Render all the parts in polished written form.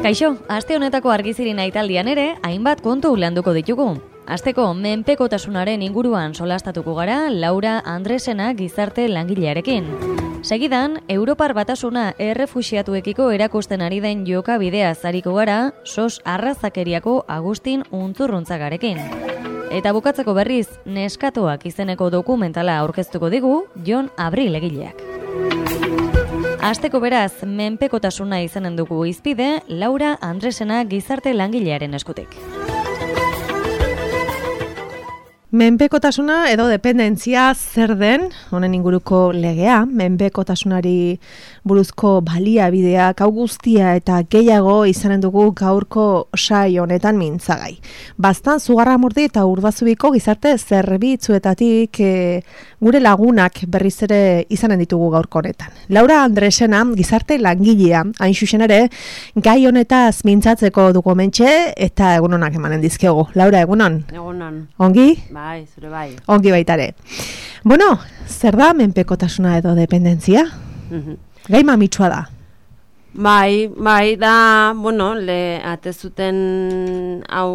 Kaixo, aste honetako argizirin aitaldian ere, hainbat kontu landuko ditugu. Asteko, menpekotasunaren inguruan solastatuko gara Laura Andresena gizarte langilearekin. Segidan, Europar Batasuna errefuxiatuekiko erakusten ari den jokabidea zariko gara, sos arrazakeriako Agustin Untzurruntzagarekin. Eta bukatzeko berriz, Neskatoak izeneko dokumentala aurkeztuko digu Jon Abril egileak. Asteko beraz, menpekotasuna izanen dugu izpide, Laura Andresena gizarte langilearen eskutik. Menpekotasuna edo dependentzia zer den, honen inguruko legea, menpekotasunari buruzko baliabideak, hau guztia eta gehiago izanen dugu gaurko saio honetan mintzagai. Baztan Zugarramurdi eta Urdazubiko gizarte zerbitzuetatik gure lagunak berriz ere izanen ditugu gaurko honetan. Laura Andresena gizarte langilea, hain xuxen ere, gai honetaz mintzatzeko dugu mentxe eta egunonak emanen dizkegu. Laura, egunon? Egunon. Ongi? Bai, zure bai. Ongi baitare. Bueno, zer da menpekotasuna edo dependentzia? Gai mamitsua da. Bai, da, bueno, atezuten hau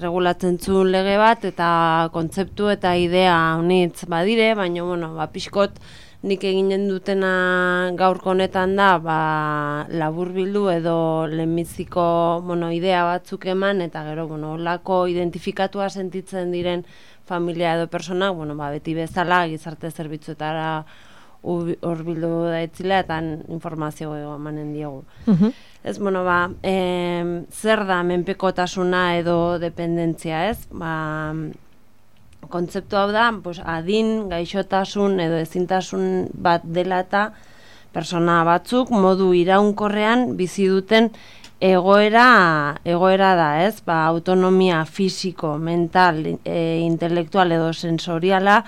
regulatzen zuen lege bat, eta kontzeptu eta idea honitz badire, baina, bueno, pixkot nik eginen dutena gaurko honetan da, laburbildu edo lehenbiziko, idea batzuk eman, eta gero, olako identifikatua sentitzen diren familia edo persona, beti bezala gizarte zerbitzuetara hurbildu daitzila eta informazio emanen diogu. Ez, zer da menpekotasuna edo dependentzia, ez? Kontzeptu hau da, adin, gaixotasun edo ezintasun bat dela eta persona batzuk modu iraunkorrean bizi duten egoera da, ez? Autonomia fisiko, mental, intelektual edo sensoriala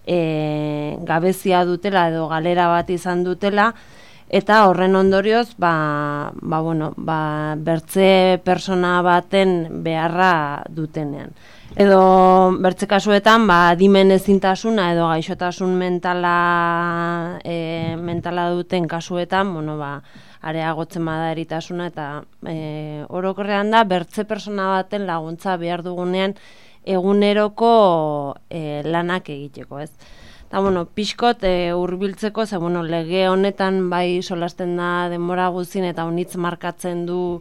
gabezia dutela edo galera bat izan dutela, eta horren ondorioz, bertze persona baten beharra dutenean. Edo bertze kasuetan, adimen ezintasuna edo gaixotasun mentala duten kasuetan, areagotzen bada eritasuna eta orokorrean da, bertze persona baten laguntza behar dugunean eguneroko lanak egiteko, ez? Eta, pixkot hurbiltzeko, ze, lege honetan bai solasten da denbora guztien eta honitz markatzen du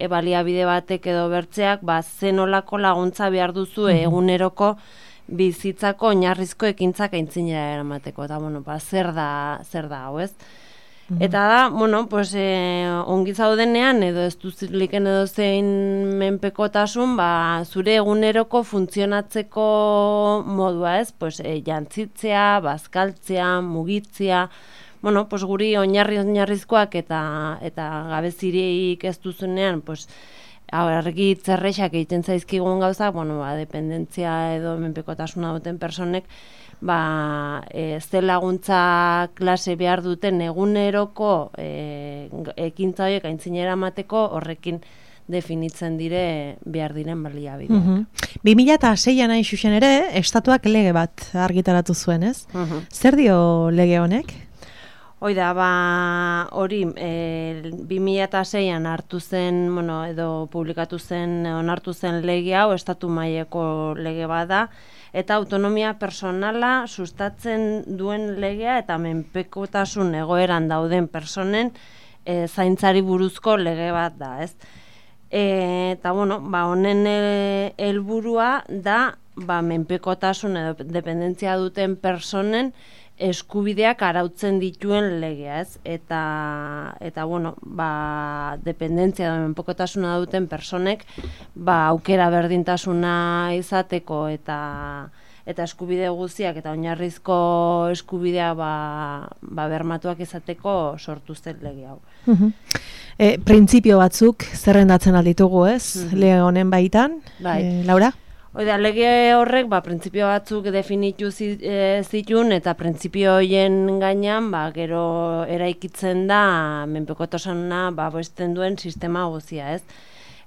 baliabide batek edo bertzeak, zen olako laguntza behar duzu eguneroko bizitzako oinarrizko ekintzak aintzinera eramateko. Eta, zer da hau, ez? Eta da, ongi zaudenean, edo ez duziliken edo zein menpekotasun, zure eguneroko funtzionatzeko modua, ez? Jantzitzea, bazkaltzea, mugitzea, guri oinarrizkoak eta gabezirik ez duzunean, argi zerrexak egiten zaizkigun gauza, dependentzia edo menpekotasuna duten personek, ze laguntza klase behar duten eguneroko ekintza horiek aintzinera emateko horrekin definitzen dire behar diren baliabideak. 2006an hain xuxen ere, estatuak lege bat argitaratu zuen, ez? Zer dio lege honek? Hoida, hori 2006an hartu zen, edo publikatu zen, onartu zen lege hau, estatu mailako lege bada, eta autonomia personala sustatzen duen legea eta menpekotasun egoeran dauden personen zaintzari buruzko lege bat da, ez? Eta, honen helburua da, menpekotasun edo dependentzia duten personen eskubideak arautzen dituen legea, ez? Eta dependentzia edo menpekotasuna duten personek, aukera berdintasuna izateko eta eskubide guztiak eta oinarrizko eskubidea bermatuak izateko sortu zen lege hau. Printzipio batzuk zerrendatzen alditugu, ez? Lege honen baitan, Laura? Oida, lege horrek, printzipio batzuk definitu zituen eta printzipio horien gainean, gero eraikitzen da menpekotasuna bosten duen sistema guztia, ez?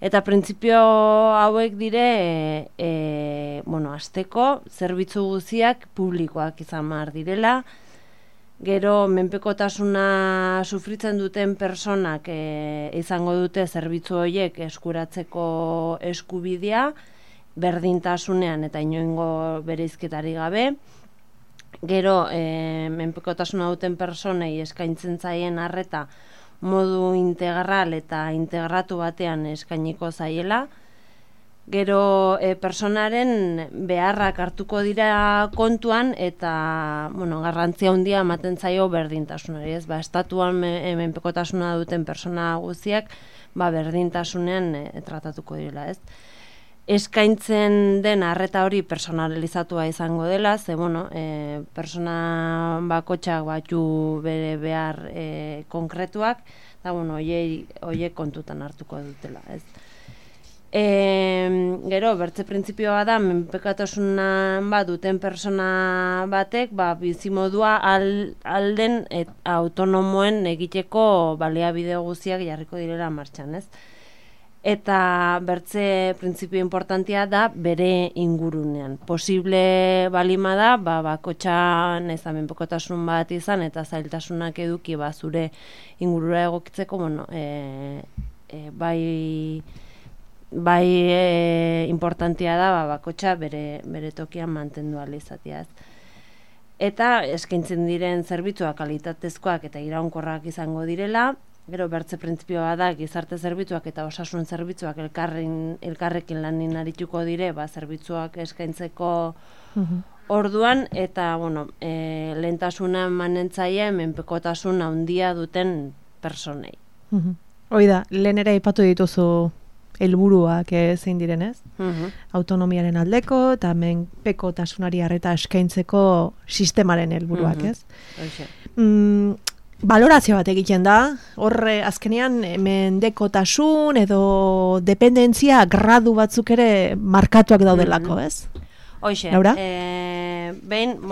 Eta printzipio hauek dire, hasteko zerbitzu guztiak publikoak izan behar direla, Gero, menpekotasuna sufritzen duten personak izango dute zerbitzu horiek eskuratzeko eskubidea, berdintasunean eta inoengo bereizketari gabe. Gero, menpekotasuna duten personei eskaintzen zaien arreta modu integral eta integratu batean eskainiko zaiela. Gero, personaren beharrak hartuko dira kontuan eta garrantzia handia ematen zaio berdintasunari. Estatuan menpekotasuna duten persona guztiak berdintasunean tratatuko direla. Eskaintzen den arreta hori personalizatua izango dela, ze persona bakotxak batu bere behar konkretuak, eta horiek kontutan hartuko dutela. Gero, bertze printzipioa da, menpekotasuna duten persona batek, bizimodua alden autonomoen egiteko baliabide guztiak jarriko direla martxan, Eta bertze printzipio importantia da bere ingurunean. Posible balima da, bakotxan ez da menpekotasun bat izan eta zailtasunak eduki zure ingurura egokitzeko, importantia da bakotxa bere tokian mantendu ahal izatea. Eta eskaintzen diren zerbitzuak kalitatezkoak eta iraunkorrak izango direla. Gero bertze printzipioa da gizarte zerbitzuak eta osasun zerbitzuak elkarrekin lanin arituko dire zerbitzuak eskaintzeko orduan eta lehentasuna emanentzaile menpekotasun handia duten personei. Hoi da, lehen ere aipatu dituzu helburuak zein direnez? Autonomiaren aldeko eta menpekotasunari arreta eskaintzeko sistemaren helburuak, ez? Balorazio bat egiten da, horre azkenean mendekotasun edo dependentzia gradu batzuk ere markatuak daudelako, ez? Hoxe, Laura? Behin,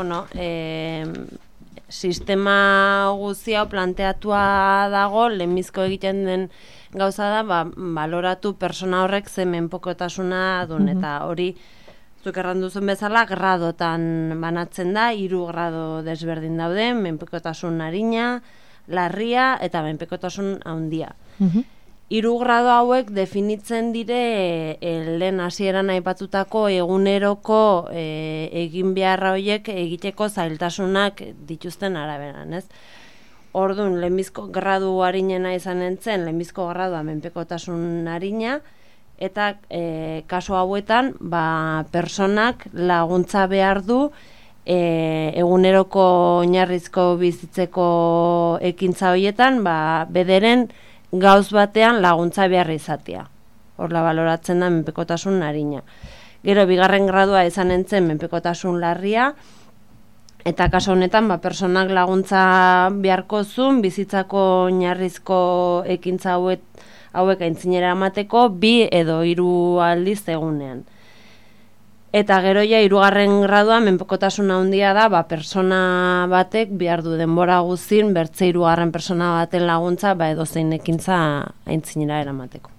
sistema guztia planteatua dago, lehenbizko egiten den gauza da, baloratu persona horrek ze menpekotasuna duen, eta hori zuk erranduzun bezala, gradotan banatzen da, 3 grado desberdin daude, menpekotasun arina, larria eta menpekotasun handia. 3 grado hauek definitzen dire lehen hasieran aipatutako eguneroko egin beharra horiek egiteko zailtasunak dituzten araberan, ez? Orduan, lehenbizko gradu harinena izan entzen, lehenbizko gradua menpekotasun harina, eta kasu hauetan, personak laguntza behar du eguneroko oinarrizko bizitzeko ekintza horietan, bederen gauz batean laguntza behar izatea. Horla baloratzen da menpekotasun harina. Gero, 2. gradua izan entzen menpekotasun larria, eta kasu honetan, personak laguntza beharko zuen bizitzako oinarrizko ekintza hauek aintzinera emateko 2 edo 3 aldiz egunean. Eta gero 3. gradua menpekotasun handia da, persona batek behar du denbora guztin bertze 3. persona baten laguntza edozein ekintza aintzinera eramateko.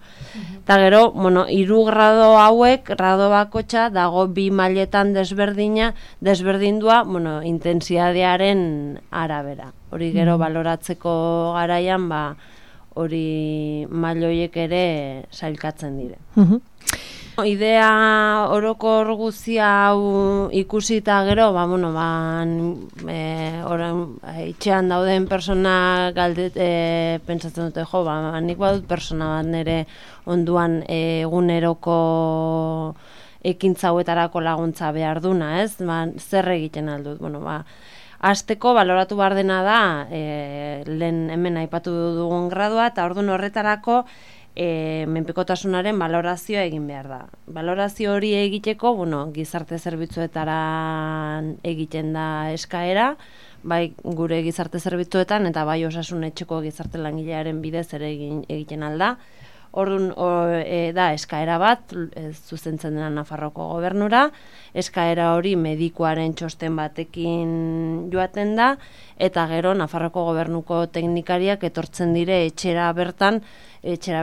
Eta gero, 3 grado hauek, grado bakotxa, dago 2 mailetan desberdindua, intentsidadearen arabera. Hori gero baloratzeko garaian, hori mailoiek ere sailkatzen dire. Idea orokor guztia hau ikusita gero, itxean dauden persona pentsatzen dute, nik badut persona bat nire onduan eguneroko ekintza hauetarako laguntza behar duna, ez? Zer egiten aldut? Hasteko baloratu behar dena da, lehen hemen aipatu dugun gradua, eta orduan horretarako menpekotasunaren balorazioa egin behar da. Balorazio hori egiteko, gizarte zerbitzuetaran egiten da eskaera, bai gure gizarte zerbitzuetan eta bai osasun etxeko gizarte langilearen bidez ere egiten alda. Orduan da eskaera bat, zuzentzen dena Nafarroko gobernura, eskaera hori medikuaren txosten batekin joaten da, eta gero Nafarroko gobernuko teknikariak etortzen dire etxera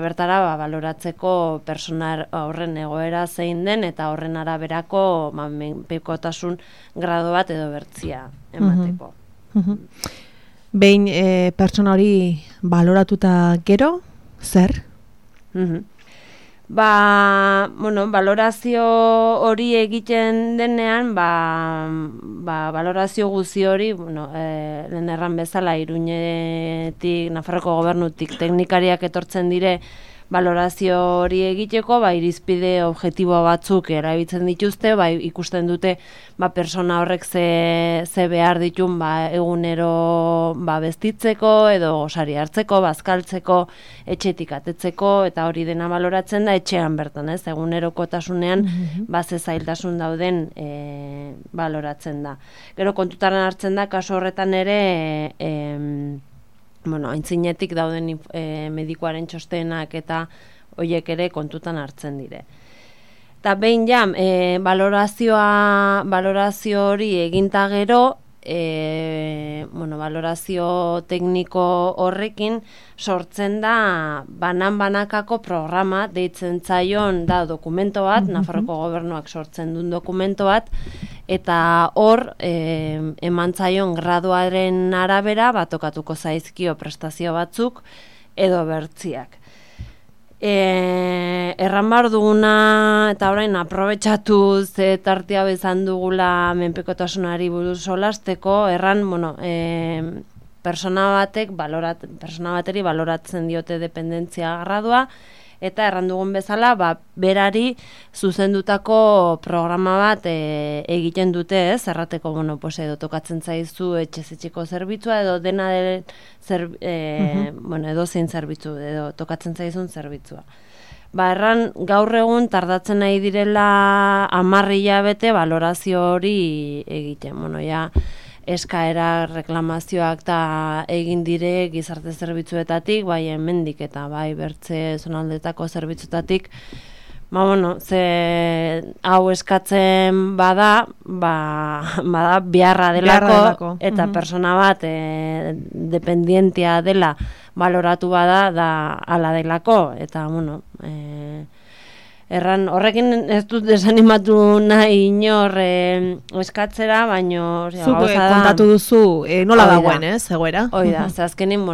bertara baloratzeko persona horren egoera zein den, eta horren araberako menpekotasun grado bat edo bertzia emateko. Behin pertsona hori baloratuta gero, zer? Valorazio hori egiten denean, valorazio guzi hori, lehen erran bezala, Iruñetik, Nafarroko gobernutik teknikariak etortzen dire, valorazio hori egiteko, irizpide objektibo batzuk erabiltzen dituzte, ikusten dute persona horrek ze behar ditun egunero bestitzeko edo gosari hartzeko, bazkaltzeko, etxetik atetzeko, eta hori dena baloratzen da etxean bertan, ez? Egunerokotasunean ze zailtasun dauden baloratzen da. Gero kontutan hartzen da, kasu horretan ere, aintzinetik dauden medikuaren txostenak eta horiek ere kontutan hartzen dire. Eta behin valorazio hori eginta gero, valorazio tekniko horrekin sortzen da banakako programa, deitzen zaion da dokumento bat, Nafarroko gobernuak sortzen duen dokumento bat, eta hor eman zaion graduaren arabera tokatuko zaizkio prestazio batzuk edo bertziak. Erran behar duguna, eta orain aprobetxatu ze tartia bezan dugula menpekotasunari buruz solasteko, erran, persona bateri baloratzen diote dependentzia gradua, eta erran dugun bezala, berari zuzendutako programa bat egiten dute, ez? Errateko, edo tokatzen zaizu etxeko zerbitzua, edo dena edo zein zerbitzu, edo tokatzen zaizun zerbitzua. Erran, gaur egun tardatzen nahi direla 10 hilabete valorazio hori egiten. Eskaera reklamazioak eta egin dire gizarte zerbitzuetatik, hemendik eta bertze zonaldetako zerbitzuetatik, hau eskatzen bada beharra delako, eta persona bat dependientia dela baloratu bada da ala delako, eta erran, horrekin ez dut desanimatu nahi inor eskatzera, baino... Zuk kontatu duzu nola dagoen, egoera? Hoi da, azkenin,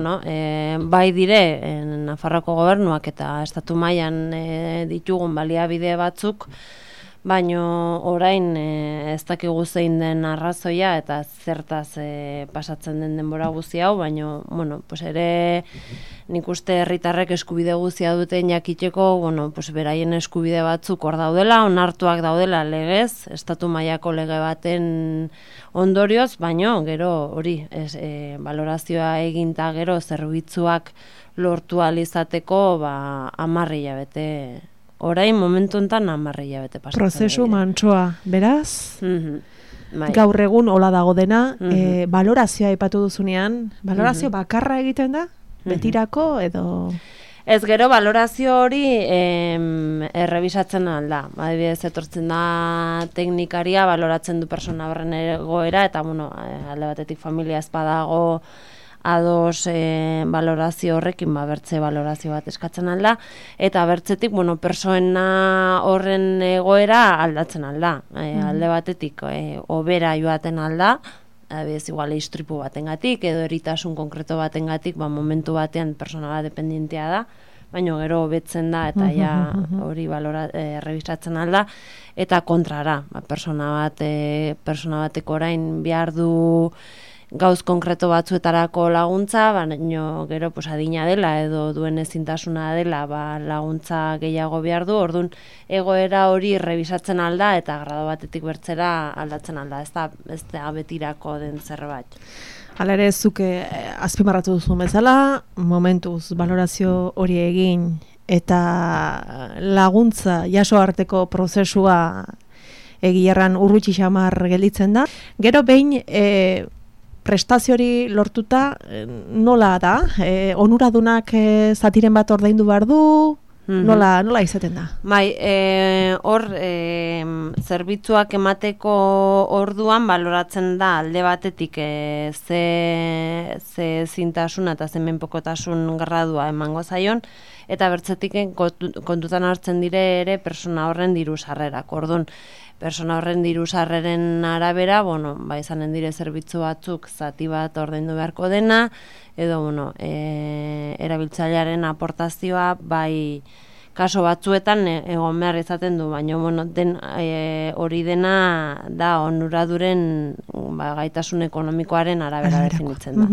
bai dire, Nafarroko gobernuak eta estatu mailan ditugun baliabide batzuk, baino orain ez dakigu zein den arrazoia eta zertaz pasatzen den denbora guzti hau, baino, ere nik uste herritarrek eskubide guztia duten jakiteko, beraien eskubide batzuk hor daudela, onartuak daudela legez, estatu mailako lege baten ondorioz, baino, gero hori, valorazioa eginta gero zerbitzuak lortu alizateko 10 hilabete. Orain momentu enten 10 hilabete pasatzen. Prozesu mantsoa, beraz? Gaur egun hola dago dena, valorazioa aipatu duzunean, valorazio bakarra egiten da? Betirako edo... Ez gero, valorazio hori errebisatzen alda. Adibidez, etortzen da teknikaria, valoratzen du persona horren egoera, eta alde batetik familia ez badago ados valorazio horrekin, bertze valorazio bat eskatzen alda, eta bertzetik, persoena horren egoera aldatzen alda. Alde batetik, obera joaten alda, adibidez, igual istripu batengatik edo eritasun konkreto batengatik, momentu batean persona bat dependientea da, baina gero hobetzen da eta hori errebisatzen alda, eta kontrara, persona bateko orain behar du gauz konkreto batzuetarako laguntza, baina gero adina dela edo duen ezintasuna dela laguntza gehiago behar du, orduan egoera hori rebisatzen alda eta grado batetik bertzera aldatzen alda, ez da betirako den zerbait. Hala ere, zuke azpimarratu duzu bezala, momentuz valorazio hori egin eta laguntza jaso arteko prozesua egierran urrutxi xamar gelditzen da. Gero behin prestazio hori lortuta nola da? Onuradunak zatiren bat ordaindu behar du? Nola izaten da? Bai, hor zerbitzuak emateko orduan baloratzen da alde batetik ze zintasuna eta ze menpekotasun gradua emango zaion, eta bertzetik kontutan hartzen dire ere persona horren diru sarrerak. Orduan, persona horren diru sarreren arabera, izanen dire zerbitzu batzuk zati bat ordaindu beharko dena, edo erabiltzailearen aportazioa bai kaso batzuetan egon behar izaten du, baina hori dena da onuraduren gaitasun ekonomikoaren arabera definitzen da.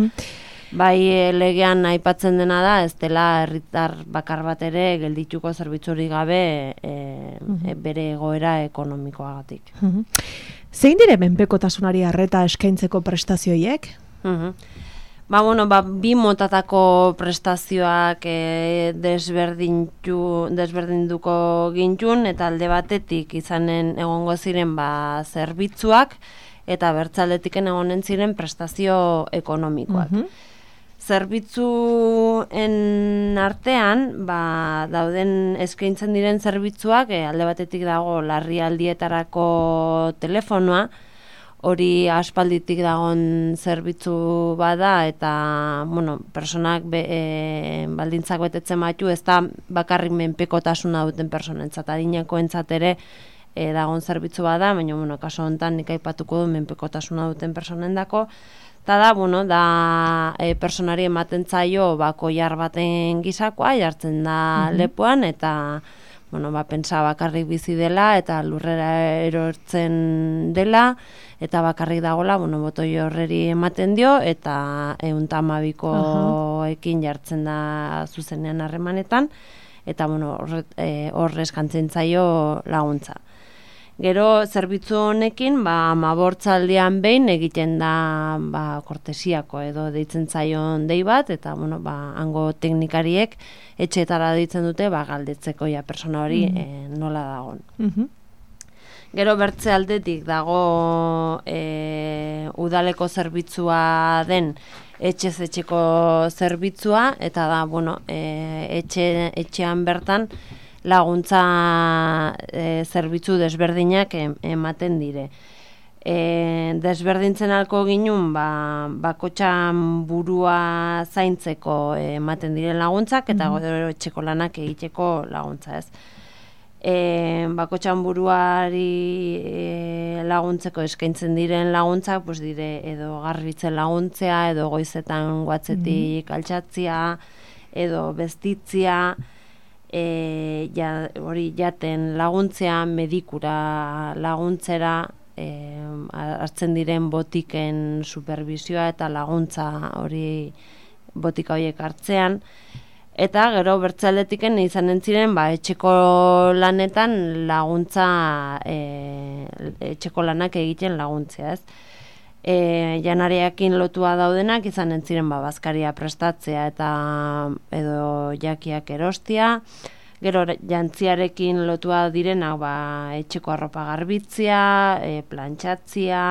Bai legean aipatzen dena da, ez dela herritar bakar bat ere geldituko zerbitzurik gabe bere egoera ekonomikoagatik. Zein dire menpekotasunari arreta eskaintzeko prestazioiek? Bi motatako prestazioak desberdinduko gintun, eta alde batetik izanen egongo ziren zerbitzuak, eta bertzaldetiken egonen ziren prestazio ekonomikoak. Zerbitzuen artean, dauden eskaintzen diren zerbitzuak, alde batetik dago larrialdietarako telefonoa, hori aspalditik dagon zerbitzu bada, eta personak baldintzak betetzen batu, ez da bakarrik menpekotasuna duten personentzat, adinekoentzat ere dagon zerbitzu bada, baina kaso honetan nik aipatuko du menpekotasuna duten personendako, eta da personari ematen zaio koilar baten gisakoa, jartzen da lepoan, eta pentsa bakarrik bizi dela, eta lurrera erortzen dela, eta bakarrik dagola, botoi horreri ematen dio, eta 112koekin jartzen da zuzenean harremanetan, eta hor eskantzen zaio laguntza. Gero, zerbitzu honekin, 15aldian behin egiten da kortesiako edo deitzen zaion dei bat, eta hango teknikariek etxeetara deitzen dute galdetzeko persona hori nola dagon. Gero bertze aldetik dago udaleko zerbitzua den etxez etxeko zerbitzua, eta da etxean bertan laguntza zerbitzu desberdinak ematen dire. Desberdintzen alko ginun, bakotxan burua zaintzeko ematen diren laguntzak, eta gero etxeko lanak egiteko laguntza, ez. Bakotxan buruari laguntzeko eskaintzen diren laguntzak, dire edo garbitzen laguntzea, edo goizetan guatzetik altxatzia, edo bestitzia, hori jaten laguntzea, medikura laguntzera, hartzen diren botiken supervisioa eta laguntza hori botika horiek hartzean, eta gero bertzaldetiken izanen ziren etxeko lanetan laguntza, etxeko lanak egiten laguntzea, ez? Janariakin lotua daudenak izanen ziren bazkaria prestatzea eta edo jakiak erostia, gero jantziarekin lotua direnak etxeko arropa garbitzea, plantxatzia,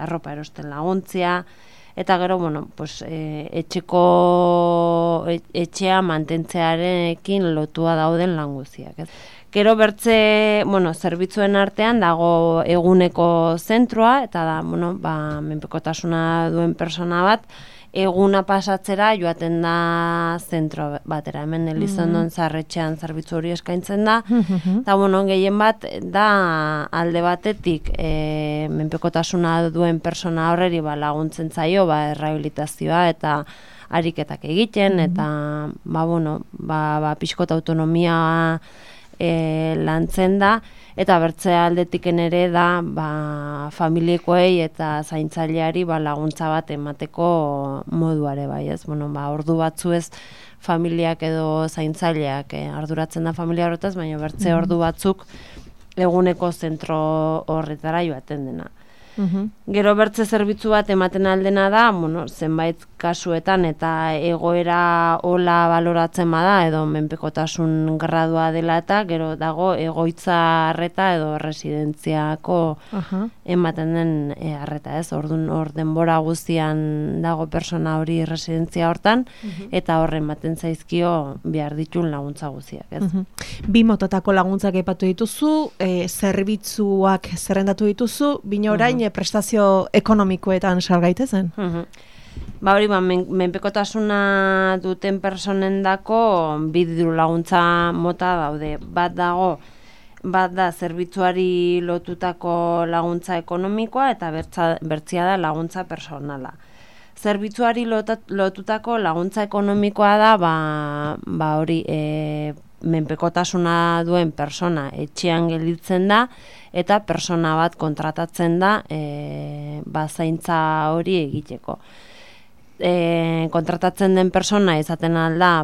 arropa erosten laguntzia, eta gero etxea mantentzearekin lotua dauden lan guztiak. Gero bertze, zerbitzuen artean dago eguneko zentroa, eta da, menpekotasuna duen persona bat, eguna pasatzera joaten da zentro batera. Hemen Elizondon Zarretxean zerbitzu hori eskaintzen da, eta gehien bat da alde batetik menpekotasuna duen persona horreri laguntzen zaio, errehabilitazioa eta ariketak egiten, eta pixkot autonomia lantzen da, eta bertze aldetiken ere da familiekoei eta zaintzaileari laguntza bat emateko moduare bai, ez? Ordu batzu ez familiak edo zaintzaileak arduratzen da familia horretaz, baina bertze ordu batzuk eguneko zentro horretara joaten dena. Gero bertze zerbitzu bat ematen aldena da, zenbait kasuetan eta egoera hola baloratzen bada edo menpekotasun gradua dela eta gero dago egoitza arreta edo residentziako ematen den arreta, ez? Orduan hor denbora guztian dago persona hori residentzia hortan eta horren ematen zaizkio behar ditun laguntza guztiak, ez? Bi motatako laguntzak aipatu dituzu, zerbitzuak zerrendatu dituzu, bina orain prestazio ekonomikoetan salgaitezen? Ba hori, menpekotasuna duten personendako bi diru laguntza mota daude. Bat da zerbitzuari lotutako laguntza ekonomikoa eta bertzia da laguntza personala. Zerbitzuari lotutako laguntza ekonomikoa da ba hori menpekotasuna duen persona etxean gelditzen da eta persona bat kontratatzen da zaintza hori egiteko. Kontratatzen den persona izaten alda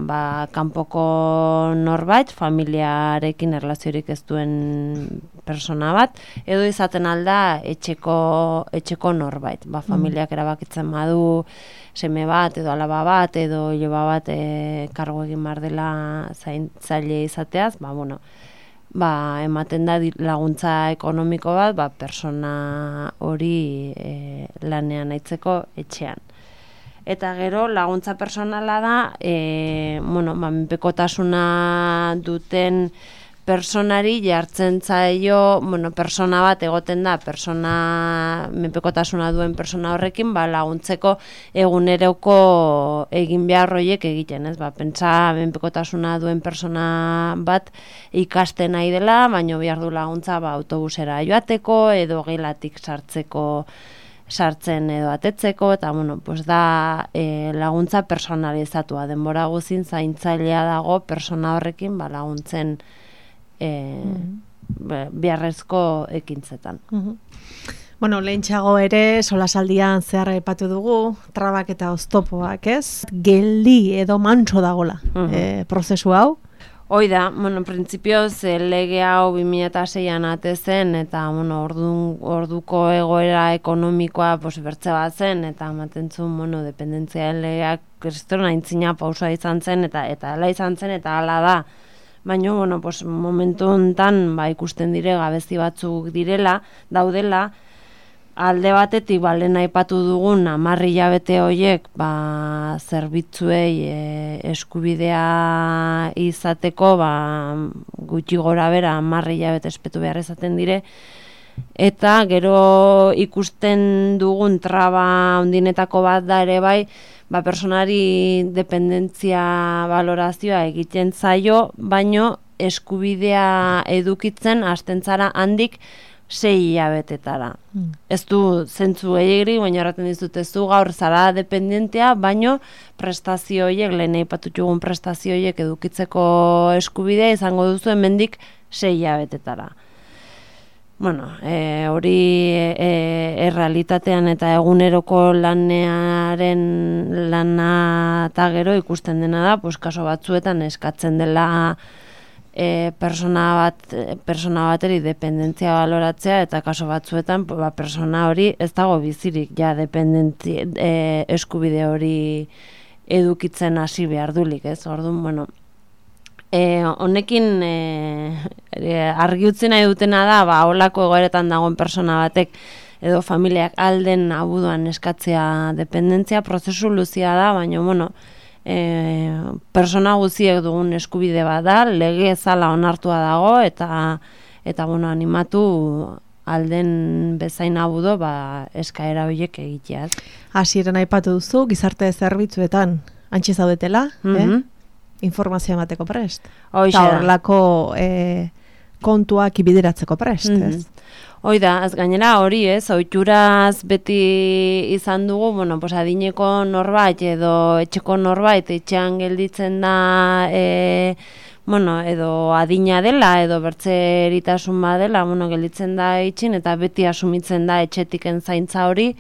kanpoko norbait, familiarekin erlaziorik ez duen persona bat, edo izaten alda etxeko norbait. Familiak erabakitzen badu seme bat, edo alaba bat, edo iloba bat kargo egin behar dela zaintzaile izateaz, ematen da laguntza ekonomiko bat, persona hori lanean aitzeko etxean. Eta gero laguntza personala da, menpekotasuna duten personari jartzen zaio, persona bat egoten da, menpekotasuna duen persona horrekin, laguntzeko eguneroko egin behar horiek egiten, ez? Pentsa menpekotasuna duen persona bat ikasten nahi dela, baina behar du laguntza autobusera joateko, edo gelatik sartzen edo atetzeko, eta da laguntza personalizatua, denbora guzin zaintzailea dago persona horrekin laguntzen beharrezko ekintzetan. Lehentxeago ere, solasaldian zehar aipatu dugu, trabak eta oztopoak, ez? Geldi edo mantso dagola prozesu hau? Hoi da, printzipioz lege hau 2006an atezen eta orduko egoera ekonomikoa bertze bat zen eta ematen zuen dependentziaren legeak kriston aintzina pausa izan zen eta hala izan zen eta hala da. Baina, momentu honetan ikusten dire gabezi batzuk daudela, alde batetik lehen aipatu dugun 10 hilabete horiek zerbitzuei eskubidea izateko gutxi gora bera 10 hilabete espetu behar izaten dire eta gero ikusten dugun traba ondinetako bat da ere personari dependentzia balorazioa egiten zaio, baino eskubidea edukitzen hasten zara handik 6 hilabetetara. Ez du zentzu egiri, baina erraten dizut ez du gaur zara dependentea, baino prestazio horiek, lehen aipatutugun prestazio horiek edukitzeko eskubidea izango duzu hemendik 6 hilabetetara. Hori errealitatean eta eguneroko lana eta gero ikusten dena da, kaso batzuetan eskatzen dela persona bateri dependentzia baloratzea eta kaso batzuetan persona hori ez dago bizirik eskubide hori edukitzen hasi behar dulik, ez? Orduan, honekin argi utzi nahi dutena da, holako egoeretan dagoen persona batek edo familiak alden abuduan eskatzea dependentzia, prozesu luzia da, baina, persona guztiek dugun eskubide bat da, lege ezala onartua dago, eta animatu alden bezain abudo eskaera horiek egitea. Hasieran aipatu duzu, gizarte zerbitzuetan antxe zaudetela, informazioa emateko prest. Eta horrelako kontuak ibideratzeko prest, ez? Hoi da, az gainera hori ez, ohituraz beti izan dugu, adineko norbait edo etxeko norbait etxean gelditzen da, edo adina dela, edo bertzeritasun badela, gelditzen da itxin, eta beti asumitzen da etxetiken zaintza hori,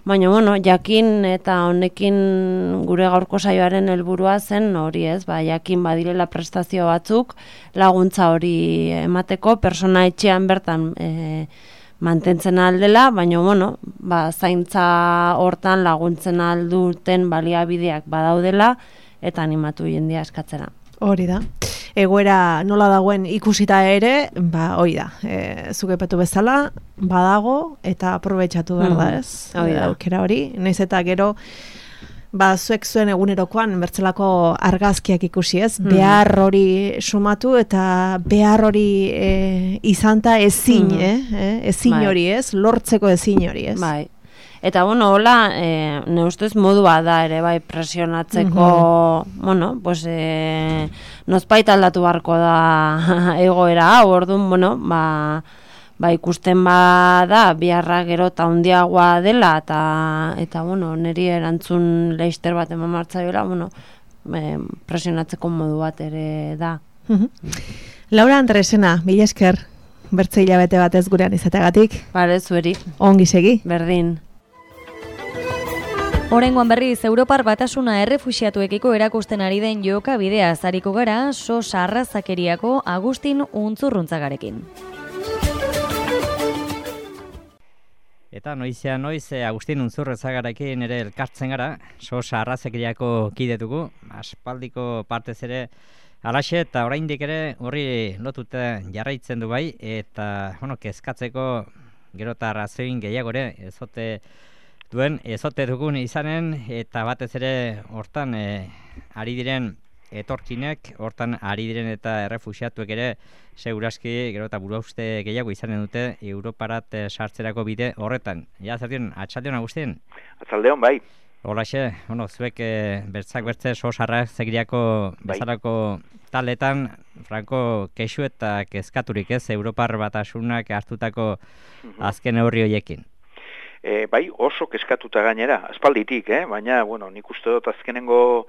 baina, jakin eta honekin gure gaurko saioaren helburua zen hori ez, jakin badirela prestazio batzuk, laguntza hori emateko, persona etxean bertan mantentzen aldela, baina, bueno, zaintza hortan laguntzen alduten baliabideak badaudela, eta animatu jendia eskatzera. Hori da. Egoera nola dagoen ikusita ere, hori da. Zuk aipatu bezala, badago eta aprobetxatu behar da, ez? Aukera hori. Naiz eta gero, zuek zuen egunerokoan bertzelako argazkiak ikusi, ez? Behar hori sumatu eta behar hori izanta ezin, ezin hori, ez? Lortzeko ezin hori, ez? Bai. Eta, bueno, hola, ne ustez modua da ere, bai, presionatzeko, bueno, pues, nozpait aldatu barko da egoera hau, orduan, bueno, ikusten da, biharra gero eta handiagoa dela, eta, bueno, niri erantzun leister bat eman martzaiola, bueno, presionatzeko modu bat ere da. Laura Andresena, mila esker, bertze hilabete batez gurean izateagatik. Bare, zueri. Ongi segi. Berdin. Oraingoan berriz, Europar Batasuna errefuxiatuekiko erakusten ari den jokabidea azariko gara, SOS Arrazakeriako Agustin Untzurruntzagarekin. Eta noizean noiz, Agustin Untzurruntzagarekin ere elkartzen gara, SOS Arrazakeriako kidetugu, aspaldiko partez ere alaxe, eta oraindik ere horri lotuta jarraitzen du bai, eta, bueno, kezkatzeko gero eta arrazoin gehiagore, ezote dugun izanen, eta batez ere hortan ari diren etorkinek, hortan ari diren eta errefuxiatuek ere seguraski gero eta buruauste gehiago izanen dute Europarat sartzerako bide horretan. Ja, zertion, atxaldeon Agustin? Atxaldeon, bai. Holaxe, zuek bertzak bertze SOS Arrazakeriako bezalako taletan, franko kexu eta kezkaturik ez, Europar Batasunak hartutako azken neurri horiekin. Bai, oso kezkatuta gainera, aspalditik, baina, bueno, nik uste dut azkenengo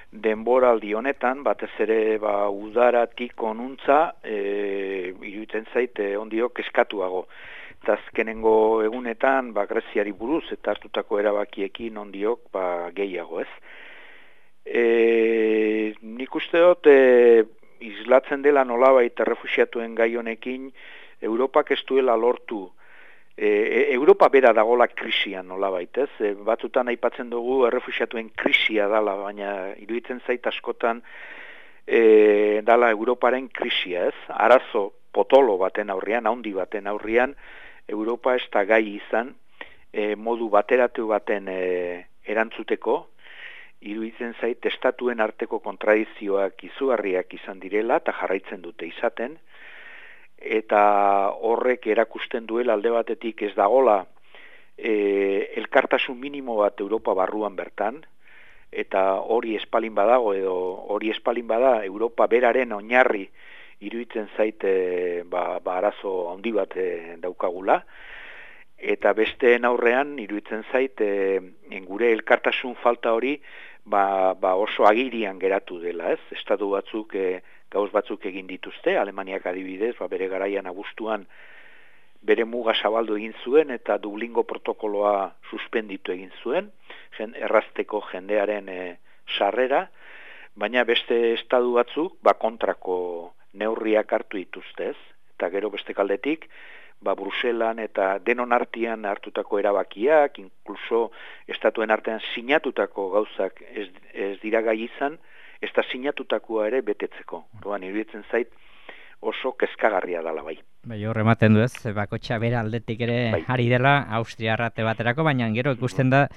denboraldi honetan, batez ere udaratik onuntza, iruditzen zait ondio kezkatuago. Eta azkenengo egunetan, Greziari buruz eta hartutako erabakiekin ondiok gehiago, ez? Nik uste dut, islatzen dela nolabait errefuxiatuen gai honekin, Europak ez duela lortu. Europa bera dagola krisian nolabait, ez? Batzutan aipatzen dugu errefuxiatuen krisia dala, baina iruditzen zait askotan dala Europaren krisia, ez? Arazo potolo baten aurrian, handi baten aurrian, Europa ez da gai izan modu bateratu baten erantzuteko, iruditzen zait estatuen arteko kontradizioak izugarriak izan direla eta jarraitzen dute izaten, eta horrek erakusten duela alde batetik ez dagola elkartasun minimo bat Europa barruan bertan, eta hori espalin badago edo hori espalin bada Europa beraren oinarri iruditzen zait arazo handi bat daukagula, eta besteen aurrean iruditzen zait gure elkartasun falta hori oso agirian geratu dela, ez? Estatu batzuk gauz batzuk egin dituzte, Alemaniak adibidez, bere garaian abuztuan bere muga zabaldu egin zuen eta Dublingo protokoloa suspenditu egin zuen, errazteko jendearen sarrera, baina beste estatu batzuk kontrako neurriak hartu dituzte, ez? Eta gero beste kaldetik, Bruselan eta denon artean hartutako erabakiak, inkluso estatuen artean sinatutako gauzak ez dira gai izan, ez da sinatutakoa ere betetzeko. Orduan, iruditzen zait oso kezkagarria dela bai. Bai, hor ematen du ez, bakotxa bera aldetik ere ari dela, Austria arrate baterako, baina gero ikusten da,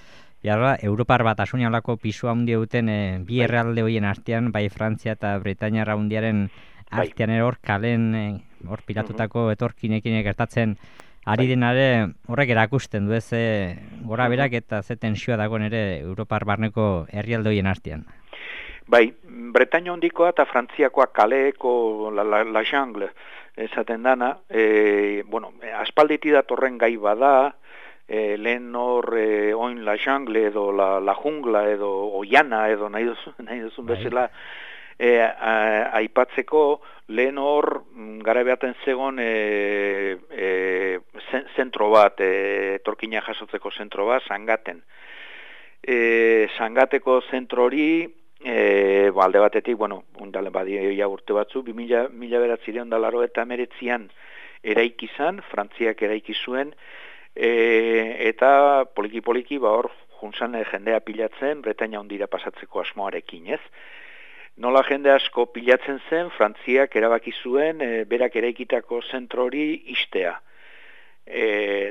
Europar Batasuna olako pisu handia duten bi herrialde horien artean, bai Frantzia eta Britainia handiaren artean ere hor kalen, hor pilatutako etorkinekin gertatzen ari denare horrek erakusten du ez, gora berak eta ze tensioa dagoen ere Europar barneko herrialde horien artean. Bai, Bretaña hondikoa eta Frantziakoa kaleeko la jungle esaten dana, aspalditi datorren gai bada, lehen hor oin la jungle edo la jungla edo oiana edo nahi duzun bezala aipatzeko, lehen hor gara behaten zegon zentro bat, etorkina jasotzeko zentro bat, Sangaten. Sangateko zentro hori, alde batetik, undale badia urte batzu, 2000 eta 1989an eraiki izan, Frantziak eraiki zuen, eta poliki-poliki hor juntzan jendea pilatzen, Bretaña Handira pasatzeko asmoarekin, ez? Nola jende asko pilatzen zen, Frantziak erabaki zuen berak eraikitako zentro hori ixtea,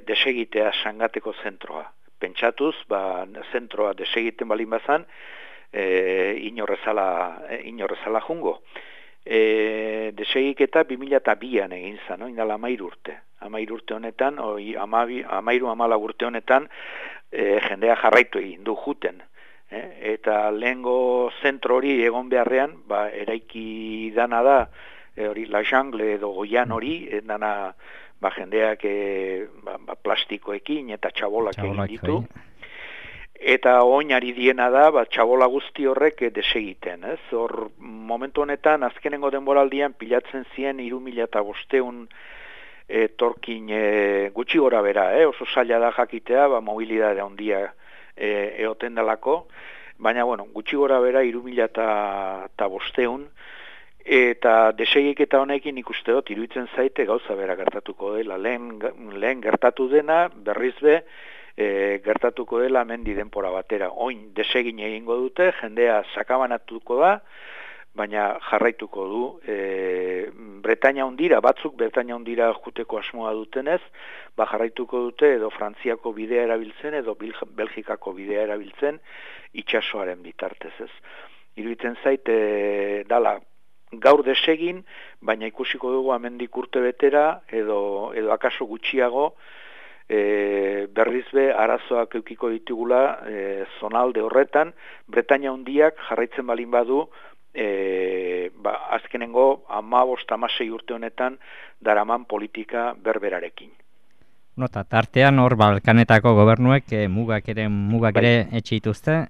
desegitea sangateko zentroa. Pentsatuz, zentroa desegiten balin bazan, inorrezala jungo. Desegiketa 2002an egin zen, indala 13 urte. 13 urte honetan, 13-14 urte honetan, jendea jarraitu egin du juten. Eta lehengo zentro hori egon beharrean, eraiki dana da, hori La Jungle edo Goian hori, dana jendeak plastikoekin eta txabolak egin ditu. Eta oinari diena da, txabola guzti horrek desegiten. Hor, momentu honetan, azkenengo denboraldian pilatzen ziren 3.500 torkin gutxi gora bera, oso zaila da jakitea, mobilidade handia eoten dalako, baina, gutxi gora bera 3.500 eta desegiketa honekin ikuste dut, iruditzen zaite gauza bera gertatuko dela. Lehen gertatu dena, berriz be, gertatuko dela mendi denpora batera. Oin desegin egingo dute, jendea sakabanatuko da, baina jarraituko du. Bretaña Handira, batzuk Bretaña Handira juteko asmoa dutenez, jarraituko dute edo Frantziako bidea erabiltzen edo Belgikako bidea erabiltzen itsasoaren bitartez, ez. Iruditzen zaite dala gaur desegin, baina ikusiko dugu amendik urte betera edo akaso gutxiago berriz be arazoak eukiko ditugula zonalde horretan, Bretaña Handiak jarraitzen balin badu azkenengo 15-16 urte honetan daraman politika berberarekin. Nota, tartean hor Balkanetako gobernuek mugak ere etxe dituzte,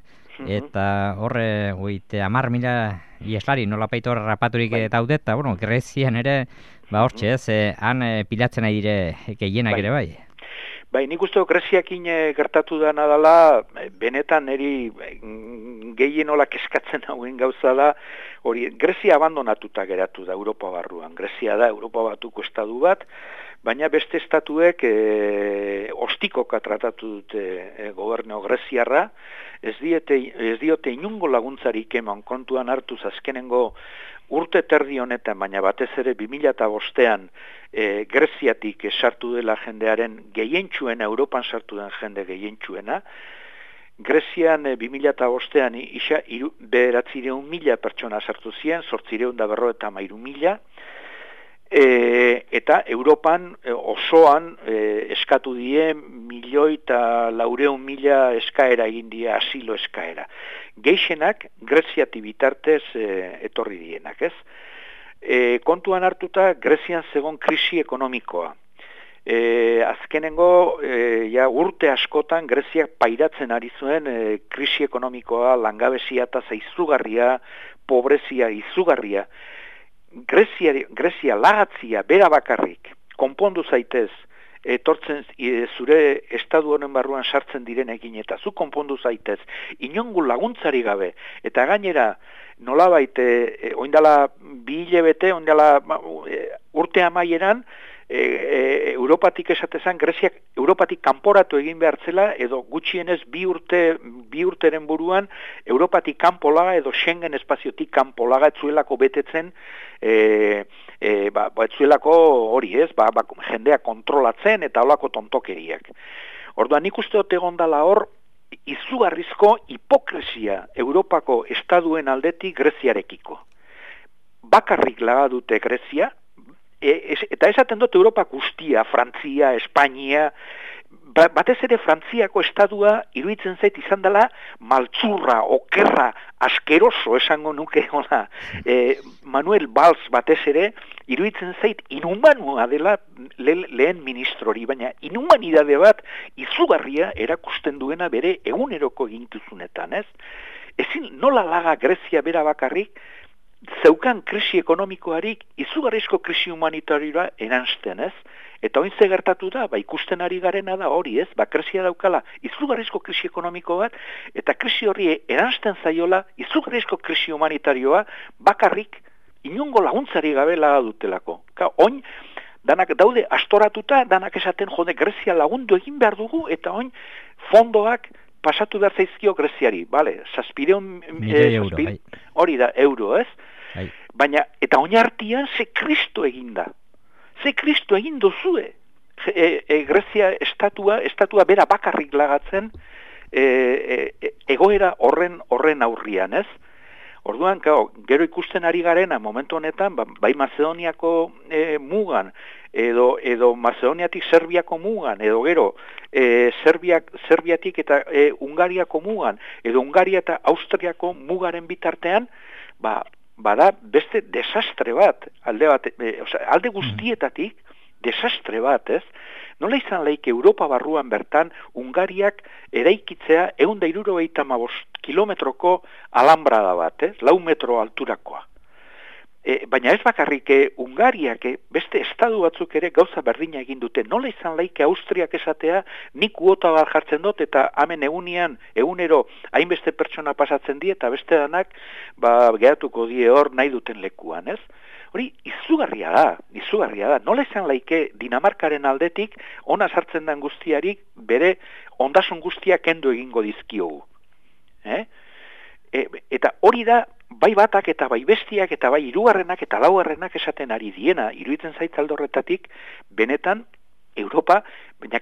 eta horre 10.000 ieslari nolapait hor rapaturik daude, eta Grezian ere, hortxe ez, han pilatzen ari dire gehienak ere bai. Nik uste Greziakin gertatu dena dela, benetan eri gehien nola keskatzen hauen gauza da, hori Grezia abandonatuta geratu da Europa barruan. Grezia da Europa batuko estatu bat, baina beste estatuek ostikoka tratatu dute gobernu greziarra, ez diote inungo laguntzarik eman kontuan hartuz azkenengo urte terdi honetan, baina batez ere 2005an Greziatik sartu dela jendearen gehientsuena, Europan sartu den jende gehientsuena. Grezian 2005an 900.000 pertsona sartu ziren, 853.000, eta Europan osoan eskatu die 1.400.000 eskaera egin die, asilo eskaera. Gehienak Greziati bitartez etorri dienak, ez? Kontuan hartuta Grezian zegoen krisi ekonomikoa. Azkenengo urte askotan Greziak pairatzen ari zuen krisi ekonomikoa, langabezia eta izugarria, pobrezia izugarria. Grezia lagatzia bera bakarrik konpondu zaitez, etortzen zure estadu honen barruan sartzen direnekin eta zu konpondu zaitez, inongo laguntzari gabe, eta gainera nolabait oindala 2 hilabete, oindala urte amaieran, Europatik esatezan, Greziak Europatik kanporatu egin behartzela, edo gutxienez 2 urteren buruan Europatik kanpolaga edo Schengen espaziotik kanpolaga etzuelako betetzen, etzuelako hori ez, jendea kontrolatzen eta holako tontokeriak. Orduan nik uste dut egon dela hor, izugarrizko hipokresia Europako estaduen aldetik Greziarekiko. Bakarrik laga dute Grezia, eta esaten dut Europa guztia, Frantzia, Espainia, batez ere Frantziako estadua iruditzen zait izan dela maltzurra, okerra, askeroso esango nuke hola. Manuel Valls batez ere iruditzen zait inhumanua dela lehen ministrori, baina inhumanidade bat izugarria erakusten duena bere eguneroko eginkizunetan, ez? Ezin nola laga Grezia bera bakarrik, zeukan krisi ekonomikoarik izugarrizko krisi humanitarioa eransten, ez? Eta oin ze gertatu da, ikusten ari garena da hori, ez? Grezia daukala izugarrizko krisi ekonomiko bat, eta krisi horri eransten zaiola izugarrizko krisi humanitarioa bakarrik inongo laguntzari gabe laga dutelako. Oin danak daude astoratuta, danak esaten jode Grezia lagundu egin behar dugu, eta oin fondoak pasatu behar zaizkio Greziari, bale, 700 euro, bai. Hori da, euro, ez? Bai. Baina, eta oinartian ze Kristo egin da. Ze Kristo egin duzue. Grezia estatua bera bakarrik lagatzen egoera horren aurrian, ez? Orduan, gero ikusten ari garena momentu honetan, bai Mazedoniako mugan, edo Mazedoniatik Serbiako mugan, edo gero Serbiatik eta Hungariako mugan, edo Hungaria eta Austriako mugaren bitartean, bada beste desastre bat, alde guztietatik desastre bat, ez? Nola izan laik Europa barruan bertan Hungariak eraikitzea 175 kilometroko alambrada bat, 4 metro alturakoa. Baina ez bakarrik Hungariak beste estadu batzuk ere gauza berdina egin dute. Nola izan laik Austriak esatea nik kuota bat jartzen dut eta hemen egunero hainbeste pertsona pasatzen die eta beste danak geratuko die hor nahi duten lekuan, ez? Hori, izugarria da. Nola izan laike Dinamarkaren aldetik ona sartzen den guztiarik bere ondasun guztiak kendu egingo dizkiogu. Eta hori da, bai batak eta bai bestiak eta bai hirugarrenak eta laugarrenak esaten ari diena, iruditzen zait alde horretatik, benetan Europa, baina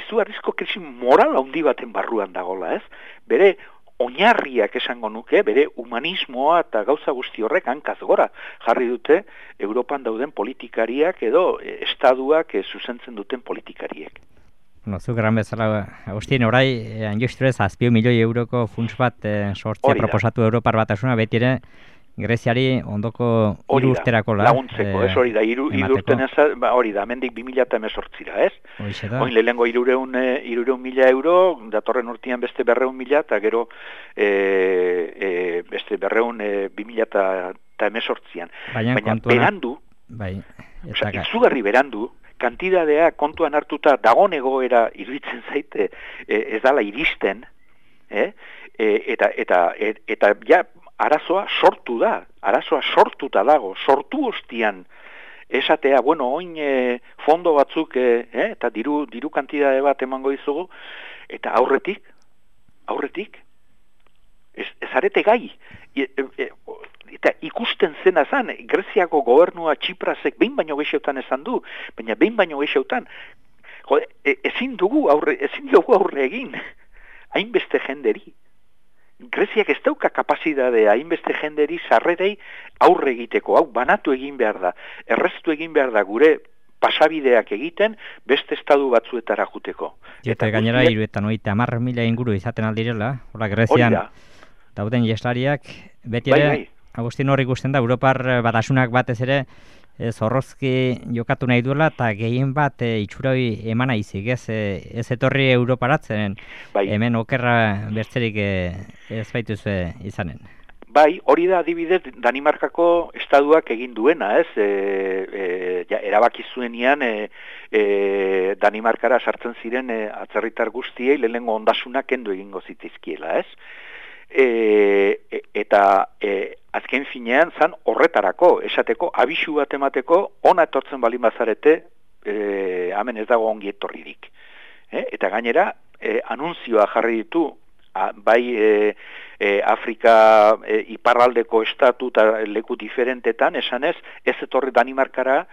izugarrizko krisi moral handi baten barruan dagola, ez? Bere oinarriak esango nuke, bere humanismoa eta gauza guzti horrek hankaz gora jarri dute Europan dauden politikariak edo estaduak zuzentzen duten politikariek. Zu gran bezala, Agustin, orai, anjusturez, 7 milioi euroko funts bat sortzea proposatu Europar Batasuna, beti ere Greziari ondoko 3 urterako laguntzeko, ez hori da, 3 urten hori da, mendik 2018, ez? Oin lehengo 300.000 euro, datorren urtean beste 200.000, eta gero beste 2018an. Baina berandu, izugarri berandu, kantidadea kontuan hartuta dagon egoera iruditzen zaite ez dala iristen, eta ja arazoa sortuta dago, sortu ostian esatea, oin fondo batzuk eta diru kantidade bat emango dizugu, eta aurretik ez arete gai, eta ikusten zena zan, Greziako gobernua Txiprasek behin baino gehiotan esan du, baina behin baino gehiotan, ezin dugu aurre egin, hainbeste jenderi. Greziak ez dauka kapazidadea hainbeste jenderi sarrerei aurre egiteko, hau banatu egin behar da, erreztu egin behar da gure pasabideak egiten beste estadu batzuetara juteko. Eta gainera 70.000 inguru izaten aldirela, hola Grezian dauden ieslariak, beti ere, Agustin hor ikusten da, Europar Batasunak batez ere zorrozki jokatu nahi duela, eta gehien bat itxuroi emana izik, ez etorri Europaratzen, hemen okerra bertzerik ez baituz izanen. Bai, hori da adibidez Danimarkako estaduak egin duena, ez? Erabaki zuenean Danimarkara sartzen ziren atzerritar guztiei lehenengo ondasunak kendu egingo zitizkiela, ez? Eta azken finean zan horretarako, esateko, abisu bat emateko, ona etortzen balin bazarete, hemen ez dago ongi etorririk. Eta gainera, anunzioa jarri ditu, bai Afrika iparraldeko estatu eta leku diferentetan, esanez, ez etorri Danimarkara,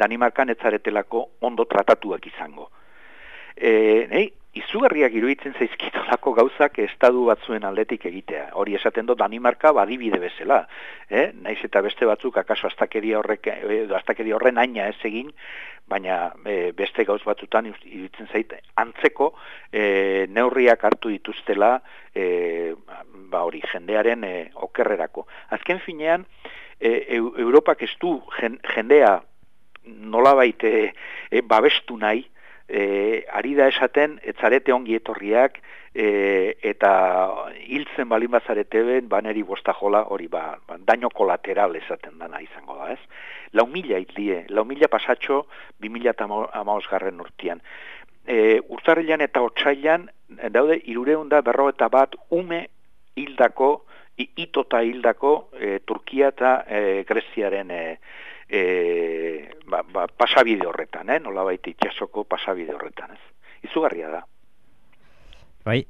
Danimarkan ez zaretelako ondo tratatuak izango. Izugarriak iruditzen zaizkitolako gauzak estadu batzuen aldetik egitea. Hori esaten dut Danimarka badibide bezala. Naiz eta beste batzuk akaso astakeria horren aina ez egin, baina beste gauz batzutan iruditzen zait antzeko neurriak hartu dituztela hori jendearen okerrerako. Azken finean, Europak ez du jendea nolabait babestu nahi, ari da esaten, etzarete ongi etorriak, eta hiltzen balin bazarete ben, baneri bostajola, hori daño kolateral esaten dana izango da, ez? 4.000 hitlie, 4.000 pasatxo 2015 urtean. Urtarrilan eta otsailan, daude 351 ume hildako, itota hildako Turkia eta Greziaren pasabide horretan, nolabait itsasoko pasabide horretan, ez? Izugarria da. Bai,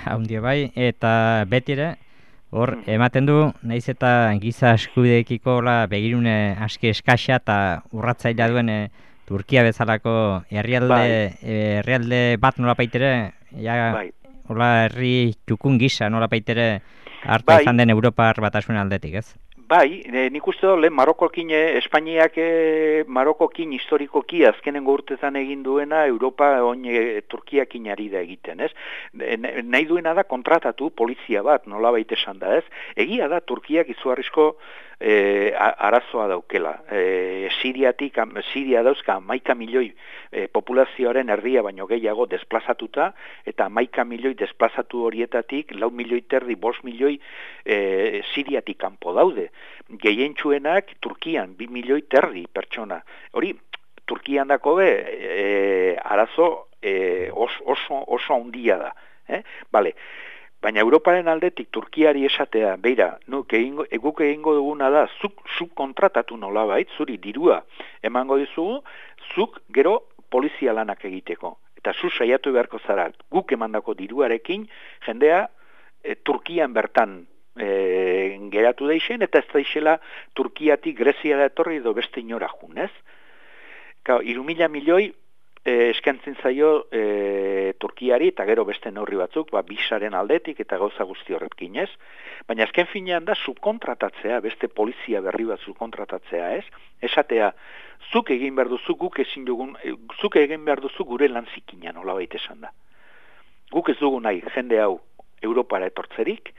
haundia bai, eta beti ere, hor, ematen du, nahiz eta giza eskubideekiko begirune aski eskasa eta urratzailea duen Turkia bezalako herrialde bat nolapaitere, hola herri txukun gisa nolapaitere hartu izan den Europar Batasun aldetik, ez? Bai, nik uste dut, Marokokin, Espainiak Marokokin historikoki azkenengo urtetan egin duena Europa Turkiakin ari da egiten, ez? Nahi duena da kontratatu polizia bat, nolabait esan da, ez? Egia da, Turkiak izugarrizko arazoa daukela. Siria dauzka 11 milioi populazioaren erdia baino gehiago desplazatuta, eta 11 milioi desplazatu horietatik 4 milioi terdi, 5 milioi Siriatik kanpo daude. Gehientsuenak Turkian 2 milioi terdi pertsona. Hori, Turkian dako arazo oso handia da. Bale. Baina Europaren aldetik Turkiari esatea, beira, guk egingo duguna da, zuk kontratatu nolabait, zuri dirua emango dizugu, zuk gero polizia lanak egiteko. Eta zu saiatu beharko zara, guk emandako diruarekin, jendea Turkian bertan geratu deixen, eta ez daixela Turkiatik Greziara etorri edo beste inora junez. 3.000 milioi eskentzen zaio Turkiari eta gero beste neurri batzuk, bisaren aldetik eta gauza guzti horretkin, ez? Baina azken finean da subkontratatzea, beste polizia berri bat subkontratatzea, ez? Esatea, zuk egin behar duzu, guk ezin dugun, zuk egin behar duzu gure lan zikina, nolabait esan da. Guk ez dugu nahi jende hau Europara etortzerik,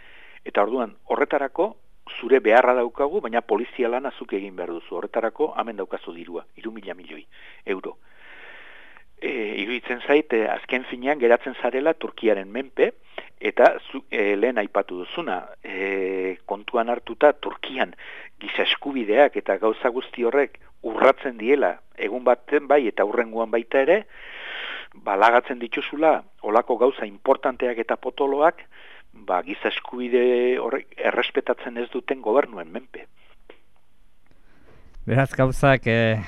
eta orduan horretarako zure beharra daukagu, baina polizia lana zuk egin behar duzu. Horretarako hemen daukazu dirua, 3.000 milioi euro. Iruditzen zait, azken finean geratzen zarela Turkiaren menpe, eta lehen aipatu duzuna, kontuan hartuta Turkian giza eskubideak eta gauza guzti horrek urratzen diela, egun baten bai eta hurrengoan baita ere, balagatzen dituzula, olako gauza importanteak eta potoloak, giza eskubide horrek errespetatzen ez duten gobernuen menpe. Beraz gauzak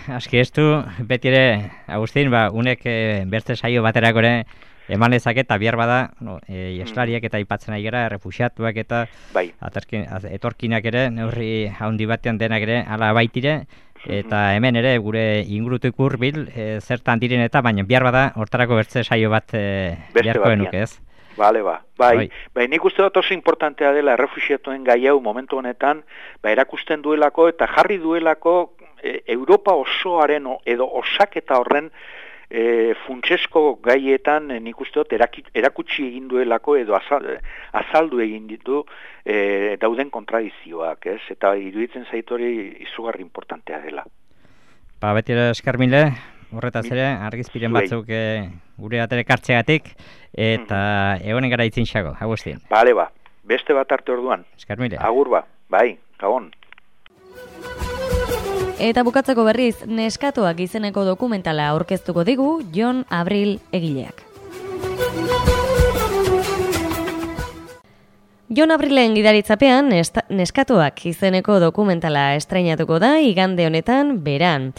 aski estu, beti ere, Agustin, unek bertze saio baterako ere eman lezake eta bihar bada, ieslariak eta aipatzen ari gara, refuxiatuak eta etorkinak ere, neurri handi batean denak ere, ala baitire, eta hemen ere gure ingurutik hurbil zertan diren eta, baina bihar bada hortarako bertze saio bat beharko genuke, ez? Bai, nik uste dut oso importantea dela errefuxiatuen gai hau momentu honetan, erakusten duelako eta jarri duelako Europa osoaren edo osaketa horren funtsesko gaietan nik uste dut erakutsi egin duelako edo azaldu egin ditu dauden kontradizioak, ez? Eta iruditzen zaitori izugarri importantea dela. Beti ere eskarmile, horretaz ere, argizpiren batzuk gure atere kartzegatik, eta egonen gara itzin xago, Agustin. Bale beste bat arte orduan. Eskarmile. Agur bai, gabon. Eta bukatzeko berriz, Neskatoak izeneko dokumentala aurkeztuko digu Jon Abril egileak. Jon Abrilen gidaritzapean Neskatoak izeneko dokumentala estreinatuko da igande honetan beran.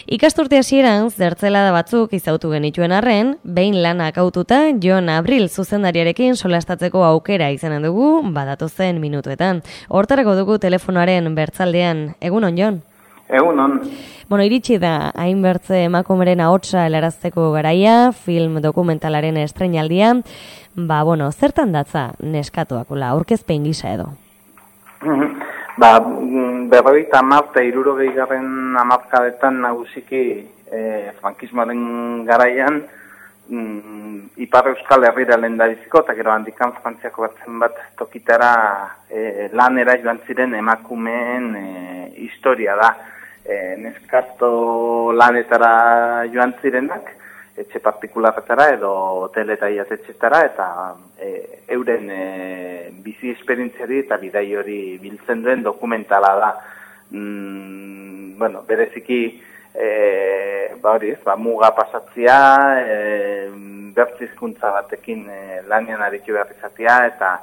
Ikasturte hasieran zertzelada batzuk izautu genituen arren, behin lanak haututa Jon Abril zuzendariarekin solastatzeko aukera izanen dugu badatozen minutuetan. Hortarako dugu telefonoaren bertzaldean. Egunon, Jon? Egunon. Iritsi da hainbertze emakumeren ahotsa helarazteko garaia, film dokumentalaren estreinaldia. Zertan datza Neskatoak, aurkezpen gisa edo? 50 eta 60 hamarkadetan nagusiki frankismoaren garaian Ipar Euskal Herrira lehendabiziko eta gero handikan Frantziako bat tokitara lanera joan ziren emakumeen historia da. Neskato lanetara joan zirenak, etxe partikularretara edo hotel eta iatetxetara, eta euren bizi esperientziari eta bidai hori biltzen duen dokumentala da. Bereziki muga pasatzea, bertzizkuntza batekin lanian aritu behar izatea, eta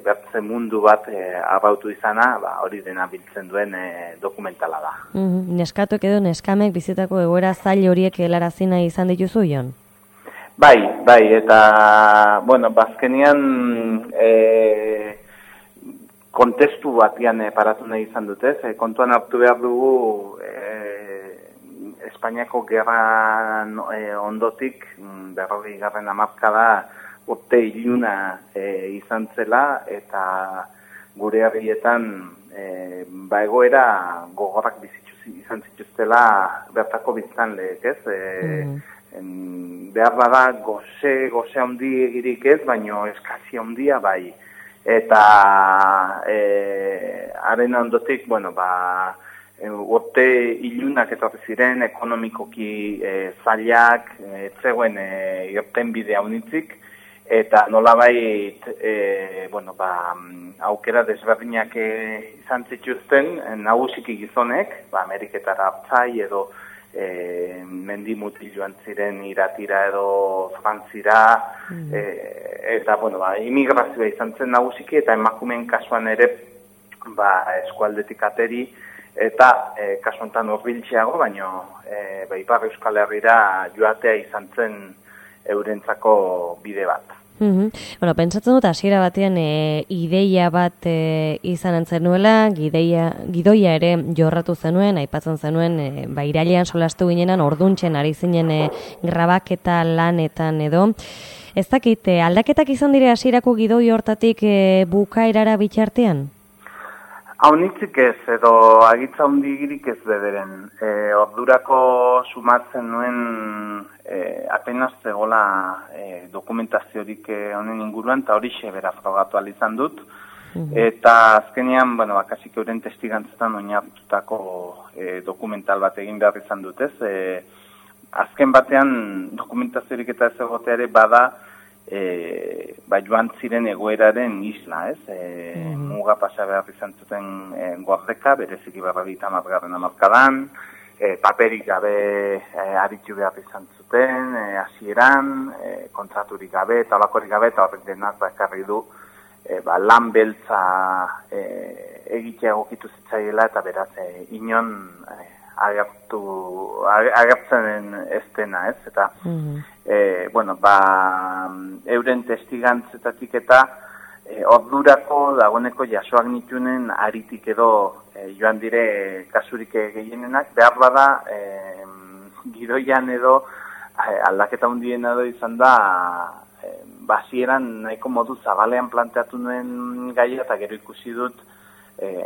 bertze mundu bat arrautu izana, hori dena biltzen duen dokumentala da. Neskatuek edo neskamek bizitako egoera zail horiek helarazi nahi izan dituzu, Jon? Bai, eta, bazkenian kontestu batian paratu nahi izan dute, kontuan hartu behar dugu Espainiako gerra ondotik, 40. hamarkada urte iluna izan zela, eta gure herrietan egoera gogorrak izan zituztela bertako biztanleek, ez? Behar bada goze handi egirik ez, baino eskazia handia bai. Eta haren ondotik, urte ilunak etorri ziren, ekonomikoki zailak, zegoen irtenbide haunitzik, eta nolabait aukera desberdinak izan zituzten nagusiki gizonek, Ameriketara hartzai edo mendimutil joan ziren Iratira edo Frantzira, eta immigrazioa izan zen nagusiki, eta emakumeen kasuan ere eskualdetik ateri, eta kasu honetan hurbiltzeago, baino Ipar Euskal Herrira joatea izan zen eurentzako bide bat. Pentsatzen dut hasiera batean ideia bat izan zenuela, gidoia ere jorratu zenuen, aipatzen zenuen, irailean solastu ginenan, orduntzen ari zinen grabaketa lanetan edo. Ez dakit, aldaketak izan dire hasierako gidoi hortatik bukaerara bitxartean? Haunitzik ez, edo agitza hundigirik ez bederen. Ordurako sumatzen nuen apenas zegoela dokumentaziorik honen inguruan, eta horixe bera frogatu izan dut. Eta azkenean, bakasik euren testigantzetan oinarritutako dokumental bat egin behar izan dut, ez? Azken batean dokumentaziorik eta ez egoteare bada joan ziren egoeraren isla, ez? Muga pasa behar izan zuten Gordeka, bereziki 50. hamarkadan, paperik gabe aritu behar izan zuten, hasieran, kontraturik gabe, eta olakorik gabe, eta horrek denak ekarri du lan beltza egitea egokitu zitzaiela, eta beraz inon agertzen ez dena, ez? Eta, euren testigantzetatik eta ordurako dagoeneko jasoak nitunen aritik edo joan dire kasurik gehienenak, behar bada gidoian edo aldaketa hundien edo izan da basieran nahiko modu zabalean planteatu nuen gaia, eta gero ikusi dut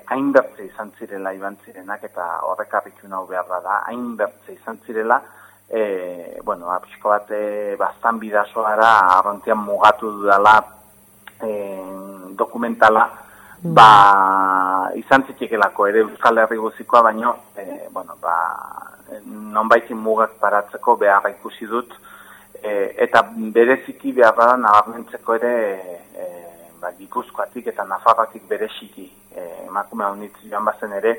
hainbertze izan zirela iban zirenak, eta horrek harritu nahu behar da, hainbertze izan zirela, pixko bat bastan bidazoara arrontian mugatu dudala dokumentala, izan zitekelako ere Euskal Herri guzikoa, baino, nonbaitin mugak paratzeko beharra ikusi dut, eta bereziki beharra nabarmentzeko ere Gipuzkoatik eta Nafarroatik bereziki emakume haunitz joan bazen ere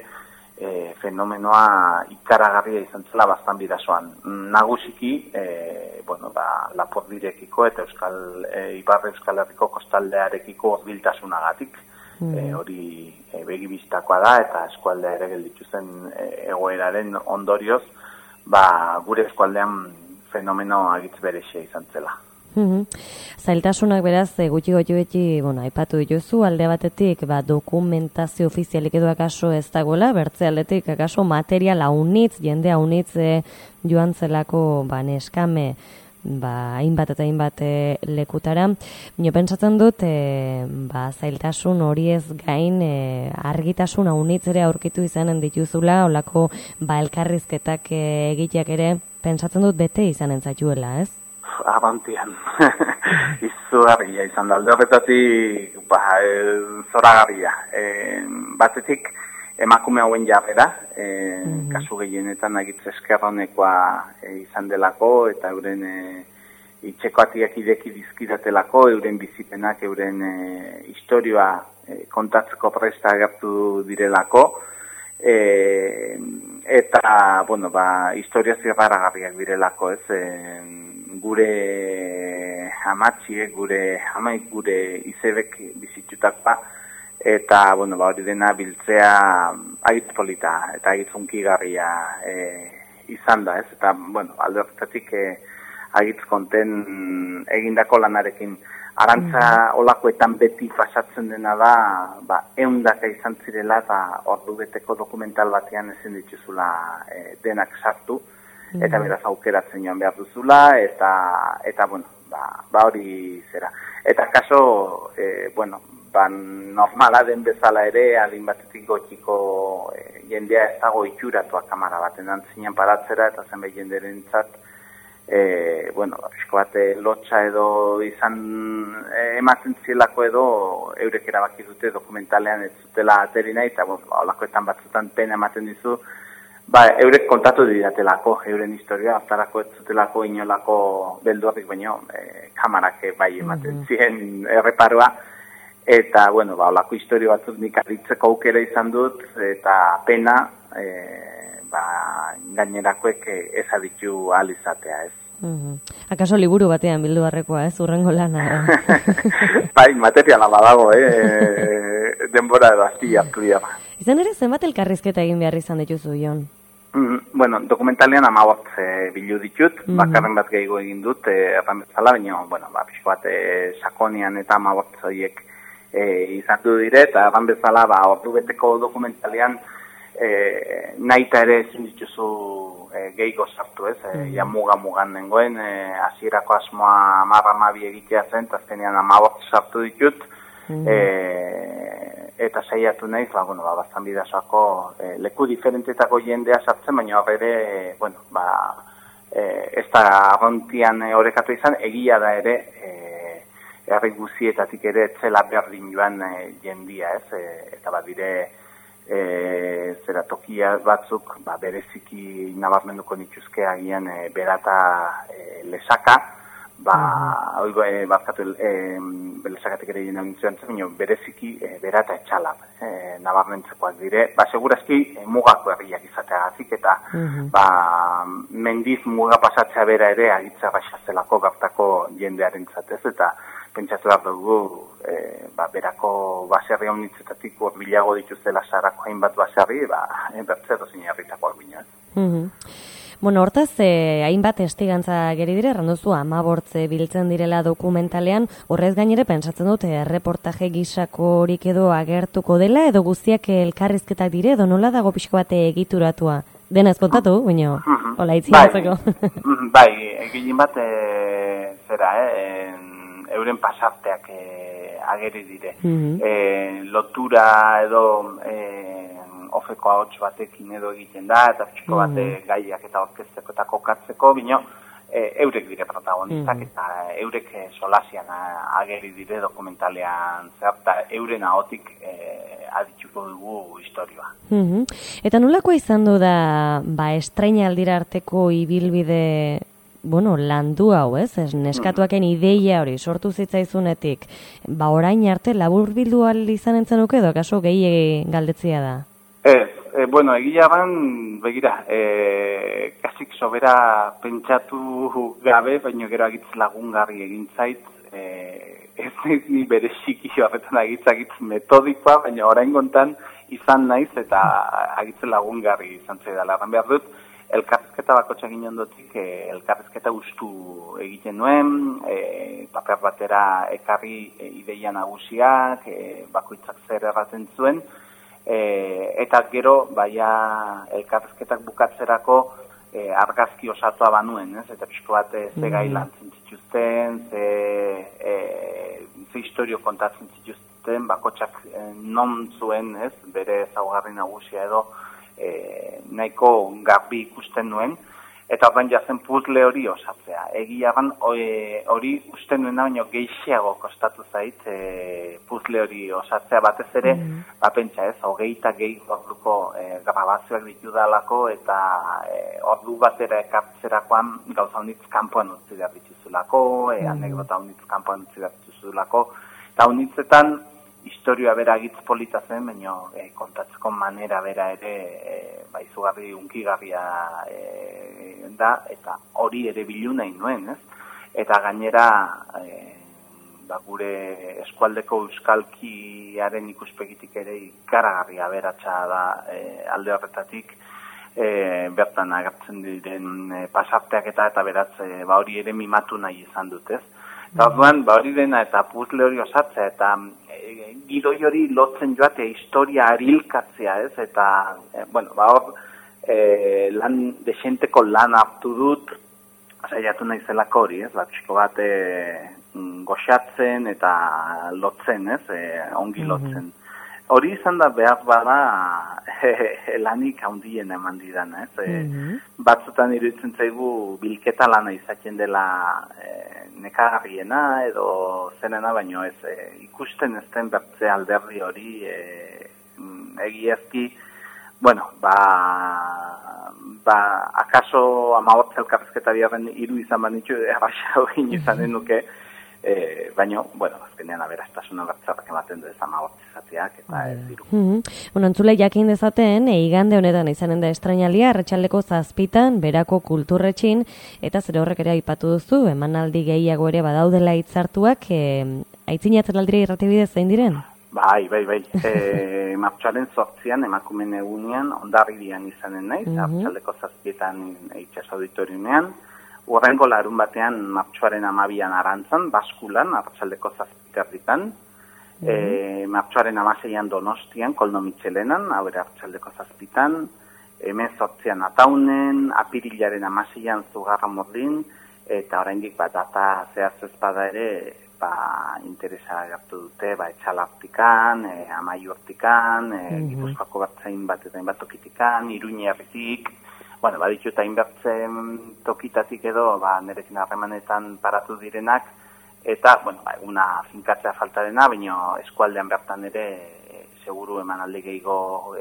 fenomenoa ikaragarria izan zela bastan bidazoan. Nagusiki, Lapurdirekiko eta Ipar Euskal Herriko kostaldearekiko hurbiltasunagatik. Hori begibistakoa da, eta eskualdea ere gelditu zen egoeraren ondorioz, gure eskualdean fenomeno agitz berexia izan zela. Zailtasunak beraz gutxi beti, aipatu dituzu, alde batetik dokumentazio ofizialik edo akaso ez dagoela, bertze aldetik akaso material haunitz, jende haunitz joan zelako neskame hainbat eta hainbat lekutara. Nio pentsatzen dut zailtasun hori ez gain argitasun haunitz ere aurkitu izanen dituzula, olako elkarrizketak egiteak ere pentsatzen dut bete izanen zaituela, ez? Abantian, izugarria izan da, alde horretatik zoragarria. Batetik emakume hauen jarrera, kasu gehienetan agitz eskerronekoa izan delako, eta euren itxekoatiak ideki dizkidatelako, euren bizipenak, euren historioa kontatzeko presta agertu direlako, eta, historia zirraragarriak direlako, ez? Gure amatxiek gure izebek bizitutakoa, eta, bueno, hori dena biltzea agitz polita eta agitz hunkigarria izan da, ez? Eta, bueno, alde horretatik agitz konten egindako lanarekin. Arantza olakoetan beti pasatzen dena da, eundaka izan zirela eta ordu beteko dokumental batean ezin dituzula denak sartu, eta beraz aukeratzen joan behar duzula, eta bueno, hori zera. Eta kaso, bueno, normala den bezala ere, adin batetik gotxiko jendea ez dago itxuratua kamara baten antzinen paratzera, eta zenbait jenderentzat, bueno, pixko bat lotxa edo izan ematen zielako edo eurek erabaki dute dokumentalean ez zutela ateri nahi, eta bueno, olakoetan batzutan pena ematen dizu, eurek kontatu didatelako, euren historia, hartarako ez zutelako inolako beldurrik, baino kamarak bai ematen ziren erreparoa, eta bueno, olako historia batzuk nik aditzeko aukera izan dut, eta pena, gainerakoek ez aditu ahal izatea, ez. Akaso liburu batean bildu barrekoa, ez, urrengo lana? Bai, materiala badago, denbora edo azti hartu dira. Izan ere, zenbat elkarrizketa egin behar izan dituzu, Jon? Bueno, dokumentalean 15 bilu ditut, bakarren bat gehiago egin dut, erran bezala, baina, bueno, pixko bat sakonian eta 15 horiek izan du dire, eta erran bezala, ordu beteko dokumentalean, nahita ere ezin dituzu gehiago sartu, ez? Ja mugan nengoen, hasierako asmoa 10-12 egitea zen, eta azkenean 15 sartu ditut, eta saiatu naiz, bastan bidazoako leku diferentetako jendea sartzen, baina horre, bueno, ez da arrontian orekatu izan, egia da ere, herri guzietatik ere etzela berdin joan jendia, ez? Eta badire, zera tokia batzuk bereziki nabarmenduko nituzke agian berata lesaka, lesakatik ere jena gintzen, bereziki berata etxala nabarmentzekoak dire, segurazki mugako herriak izateagatik, eta mendiz muga pasatzea bera ere agitza baixazelako gartako jendearen zatez, eta pentsatu behar dugu, berako baserri haunitzetatik urbilago dituztela sarako hainbat baserri, bertzero zine herritakoak bina. Bueno, hortaz, hainbat estigantza geri dire, erranduzu 15 biltzen direla dokumentalean, horrez gainere pentsatzen dute erreportaje gisako horik edo agertuko dela, edo guztiak elkarrizketak dire, edo nola dago pixko bate egituratua? Dena ez kontatu, baina, hola itzinatzeko. Bai, egin bat, zera, euren pasarteak ageri dire. Lotura edo ofeko ahots batekin edo egiten da, eta pixko bate gaiak eta orkesteko eta kokatzeko, bino eurek dire protagonistak, eta eurek solasian ageri dire dokumentalean zer, eta euren ahotik aditxuko dugu historioa. Eta nolakoa izan du da, estrainaldira arteko ibilbide, landu hau, ez? Neskatuaken ideia hori sortu zitzaizunetik, orain arte laburbildu ahal izan entzenuke edo, akaso gehi galdetzia da? Egia ban, begira, kasik sobera pentsatu gabe, baina gero agitz lagungarri egin zait, ez ni bereziki horretan agitz metodikoa, baina orain gontan izan naiz eta agitz lagungarri izan zaidala. Erran behar dut, elkarrizketa bakotxa ginen dotik, elkarrizketa ustu egiten nuen, paper batera ekarri ideia nagusiak, bakoitzak zer erraten zuen, eta gero, elkarrizketak bukatzerako argazki osatua banuen, ez? Eta pixko bat ze gai lantzen zituzten, ze historio kontatzen zituzten, bakotxak non zuen, ez? Bere ezaugarri nagusia edo nahiko garbi ikusten nuen, eta horren jazen puzzle hori osatzea. Egia ban, hori usten nuena, baina gehiago kostatu zait puzzle hori osatzea batez ere, pentsa ez, 20 orduko grabazioak ditudalako, eta ordu batera ekartzerakoan gauza honitz kanpoan utzi behar dituzulako, anekdota honitz kanpoan utzi behar dituzulako, eta honitzetan historioa bera agitz polita zen, baina kontatzeko manera bera ere izugarri unkigarria da, eta hori ere bilu nahi nuen, ez? eta gainera gure eskualdeko euskalkiaren ikuspegitik ere ikaragarri aberatsa da alde horretatik, bertan agertzen diren pasarteak eta beraz hori ere mimatu nahi izan dut, ez? Eta orduan, hori dena eta puzzle hori osatzea eta gidoi hori lotzen joatea historia arilkatzea, ez? Eta, hor lan desenteko lan hartu dut, saiatu nahi zelako hori, ez? Pixko bat goxatzen eta lotzen, ez? Ongi lotzen. Hori izan da behar bada lanik handien eman didan, ez? Batzutan iruditzen zaigu bilketa lana izaten dela nekagarriena edo zenena, baino ez ikusten ez den bertze alderdi hori egiazki, akaso 15 elkarrizketa biharren 3 izan banitxu, erraxa hori izanen nuke, baina, azkenean aberastasuna bertzarrak ematen du ez 15 izateak eta ez 3. Entzule jakin dezaten, igande honetan izanen da estrainalia, arratsaldeko 7 berako kulturretxin, eta zure horrek ere aipatu duzu, emanaldi gehiago ere badaudela hitzartuak, aitzinatzen aldira irratibidez zein diren? Bai. Martxoaren 8an emakumeen egunean, Hondarribian izanen naiz, arratsaldeko 7 itxas auditoriumean. Urrengo larun batean martxoaren 12an Arantzan, Baskulan, arratsaldeko 7:00. Martxoaren 16an Donostian, Koldo Mitxelenan, arratsaldeko 7:00. 18an Ataunen, apirilaren 16an Zugarramurdin, eta oraindik data zehaz ez bada ere, interesa agertu dute, Etxalartikan, Amaiurtikan, Gipuzkoako Bertzain bat eta hainbat tokitikan, Iruñerritik, baditut hainbertzen tokitatik edo, nerekin harremanetan paratu direnak, eta, eguna finkatzea faltarena, baina eskualdean bertan ere, seguru emanaldi gehiago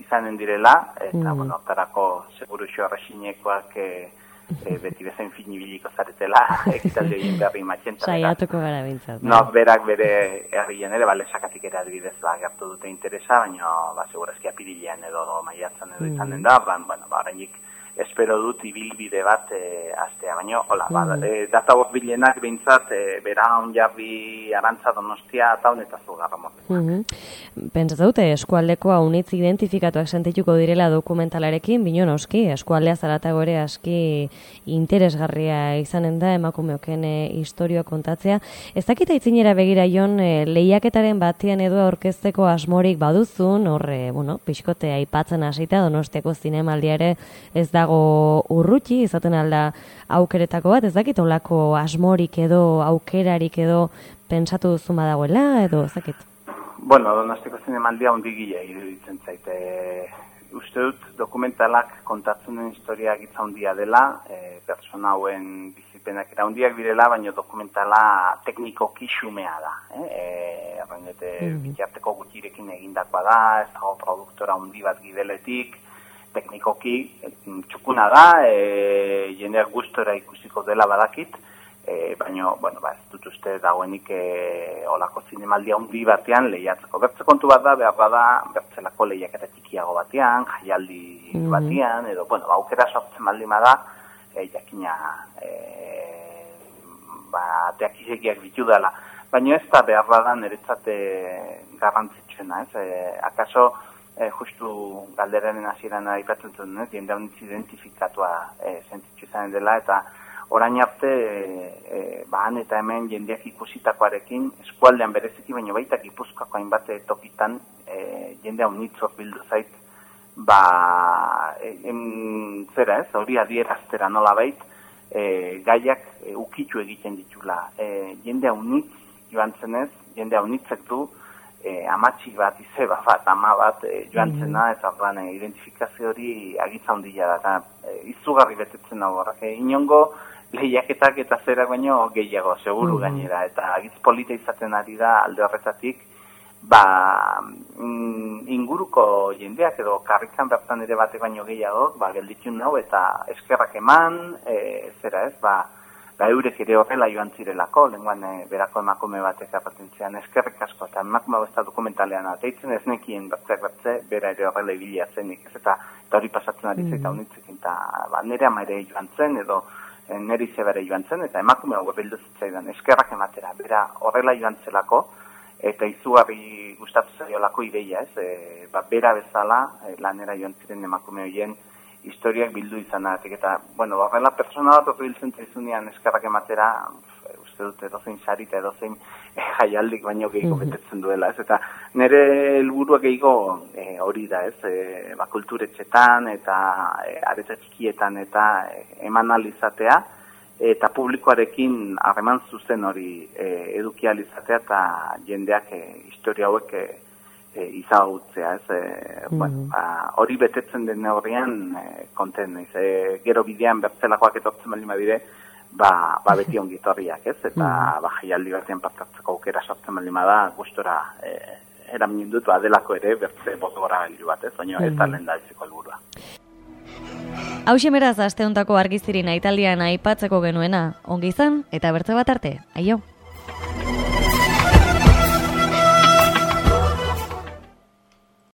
izanen direla, eta, hortarako seguru xorrexinekoak beti bezain finibiliko zaretela, ekitaldi egin berri matxenta. Saiatuko gara bintzat. Berak bere herrian ere, lesakatik ere adibidez gertu dute interesa, baina segurazki apirilean edo maiatzen edo izanen da, horreinik espero dut ibilbide bat astea, baina, data bilenak bintzat, bera onjarri Arantza, Donostia, Ataun eta Zugarramurdi. Pentsatu dute, eskualdeko haunitz identifikatuak sentituko direla dokumentalarekin, bino noski, eskualdea zaratago ere aski interesgarria izanen da, emakumeoken historioa kontatzea. Ez dakita itzinera begira jon, lehiaketaren batian edo aurkezteko asmorik baduzun, pixkote aipatzen hasita, Donostiako zinemaldia ere ez dago urruti, izaten alda aukeretako bat, ez dakit olako asmorik edo aukerarik edo pentsatu duzu badagoela, edo ez dakit? Donostiako zinemaldia hundigilea iruditzen zaite. Uste dut dokumentalak kontatzen den historia gitza hundia dela, pertsona hauen bizipenak era hundiak direla, baina dokumentala teknikoki xumea da. Bitarteko gutxirekin egindakoa da, ez dago produktora hundi bat gibeletik, teknikoki txukuna da, jendeak gustora ikusiko dela badakit, baina, ez dut uste dagoenik olako zinemaldia hundi batean lehiatzeko. Bertze kontu bat da, behar bada, bertzelako lehiaketa txikiago batean, jaialdi batean, edo, aukera sortzen baldin bada, jakina, ateak irekiak bitu dela. Baina ez da behar bada niretzat garrantzitsuena, akaso, justu galderaren hasieran aipatzen zuen, jende haunitz identifikatua sentitzu izan dela, eta orain arte, han eta hemen jendeak ikusitakoarekin, eskualdean bereziki, baina baita Gipuzkoako hainbat tokitan jende haunitz bildu zait, hori adieraztera nola bait, gaiak ukitu egiten ditula. Jende haunitz joan zenez, jende haunitzek du, amatxi bat, izeba bat, ama bat joan zena, eta identifikazio hori agitza handia da, izugarri betetzen hau horrak. Inongo lehiaketak eta zerak baino gehiago, seguru gainera, eta agitz polita izaten ari da alde horretatik, inguruko jendeak edo karrikan bertan ere batek baino gehiago, gelditun hau eta eskerrak eman, eurek ere horrela joan zirelako, lehenguan berako emakume batek apatentzean eskerrik asko, eta emakume hau ez da dokumentalean ateitzen, ez nekien bertze, bera ere horrela ibilia zenik, eta hori pasatzen ari zaita honitzekin, eta nire ama ere joan zen, edo neri zebere joan zen, eta emakume hau bildu zitzaidan eskerrak ematera, bera horrela joan zelako, eta izugarri gustatu zaiolako ideia, bera bezala lanera joan ziren emakume horien historiak bildu izanatik, eta, bueno, horrela persona bat biltzen zaizunean eskerrak ematera, uste dut edozein sari eta edozein jaialdik baino gehiago betetzen duela, eta nire helburua gehiago hori da, kulturetxetan eta aretsa txikietan eta eman alizatea, eta publikoarekin harreman zuzen hori eduki alizatea eta jendeak historia hauek izagutzea, hori betetzen den horrean konten, gero bidean bertzelakoak etortzen baldin badire, beti ongitorriak, eta jaialdi batean partatzeko aukera sortzen baldin bada, gustora eramin dut, delako ere bertze botgora gailu bat, baina ez da lehen daizeko helburua. Hauxe beraz aste hontako argiziri nahitaldian aipatzeko genuena, ongi izan eta bertze bat arte, aio!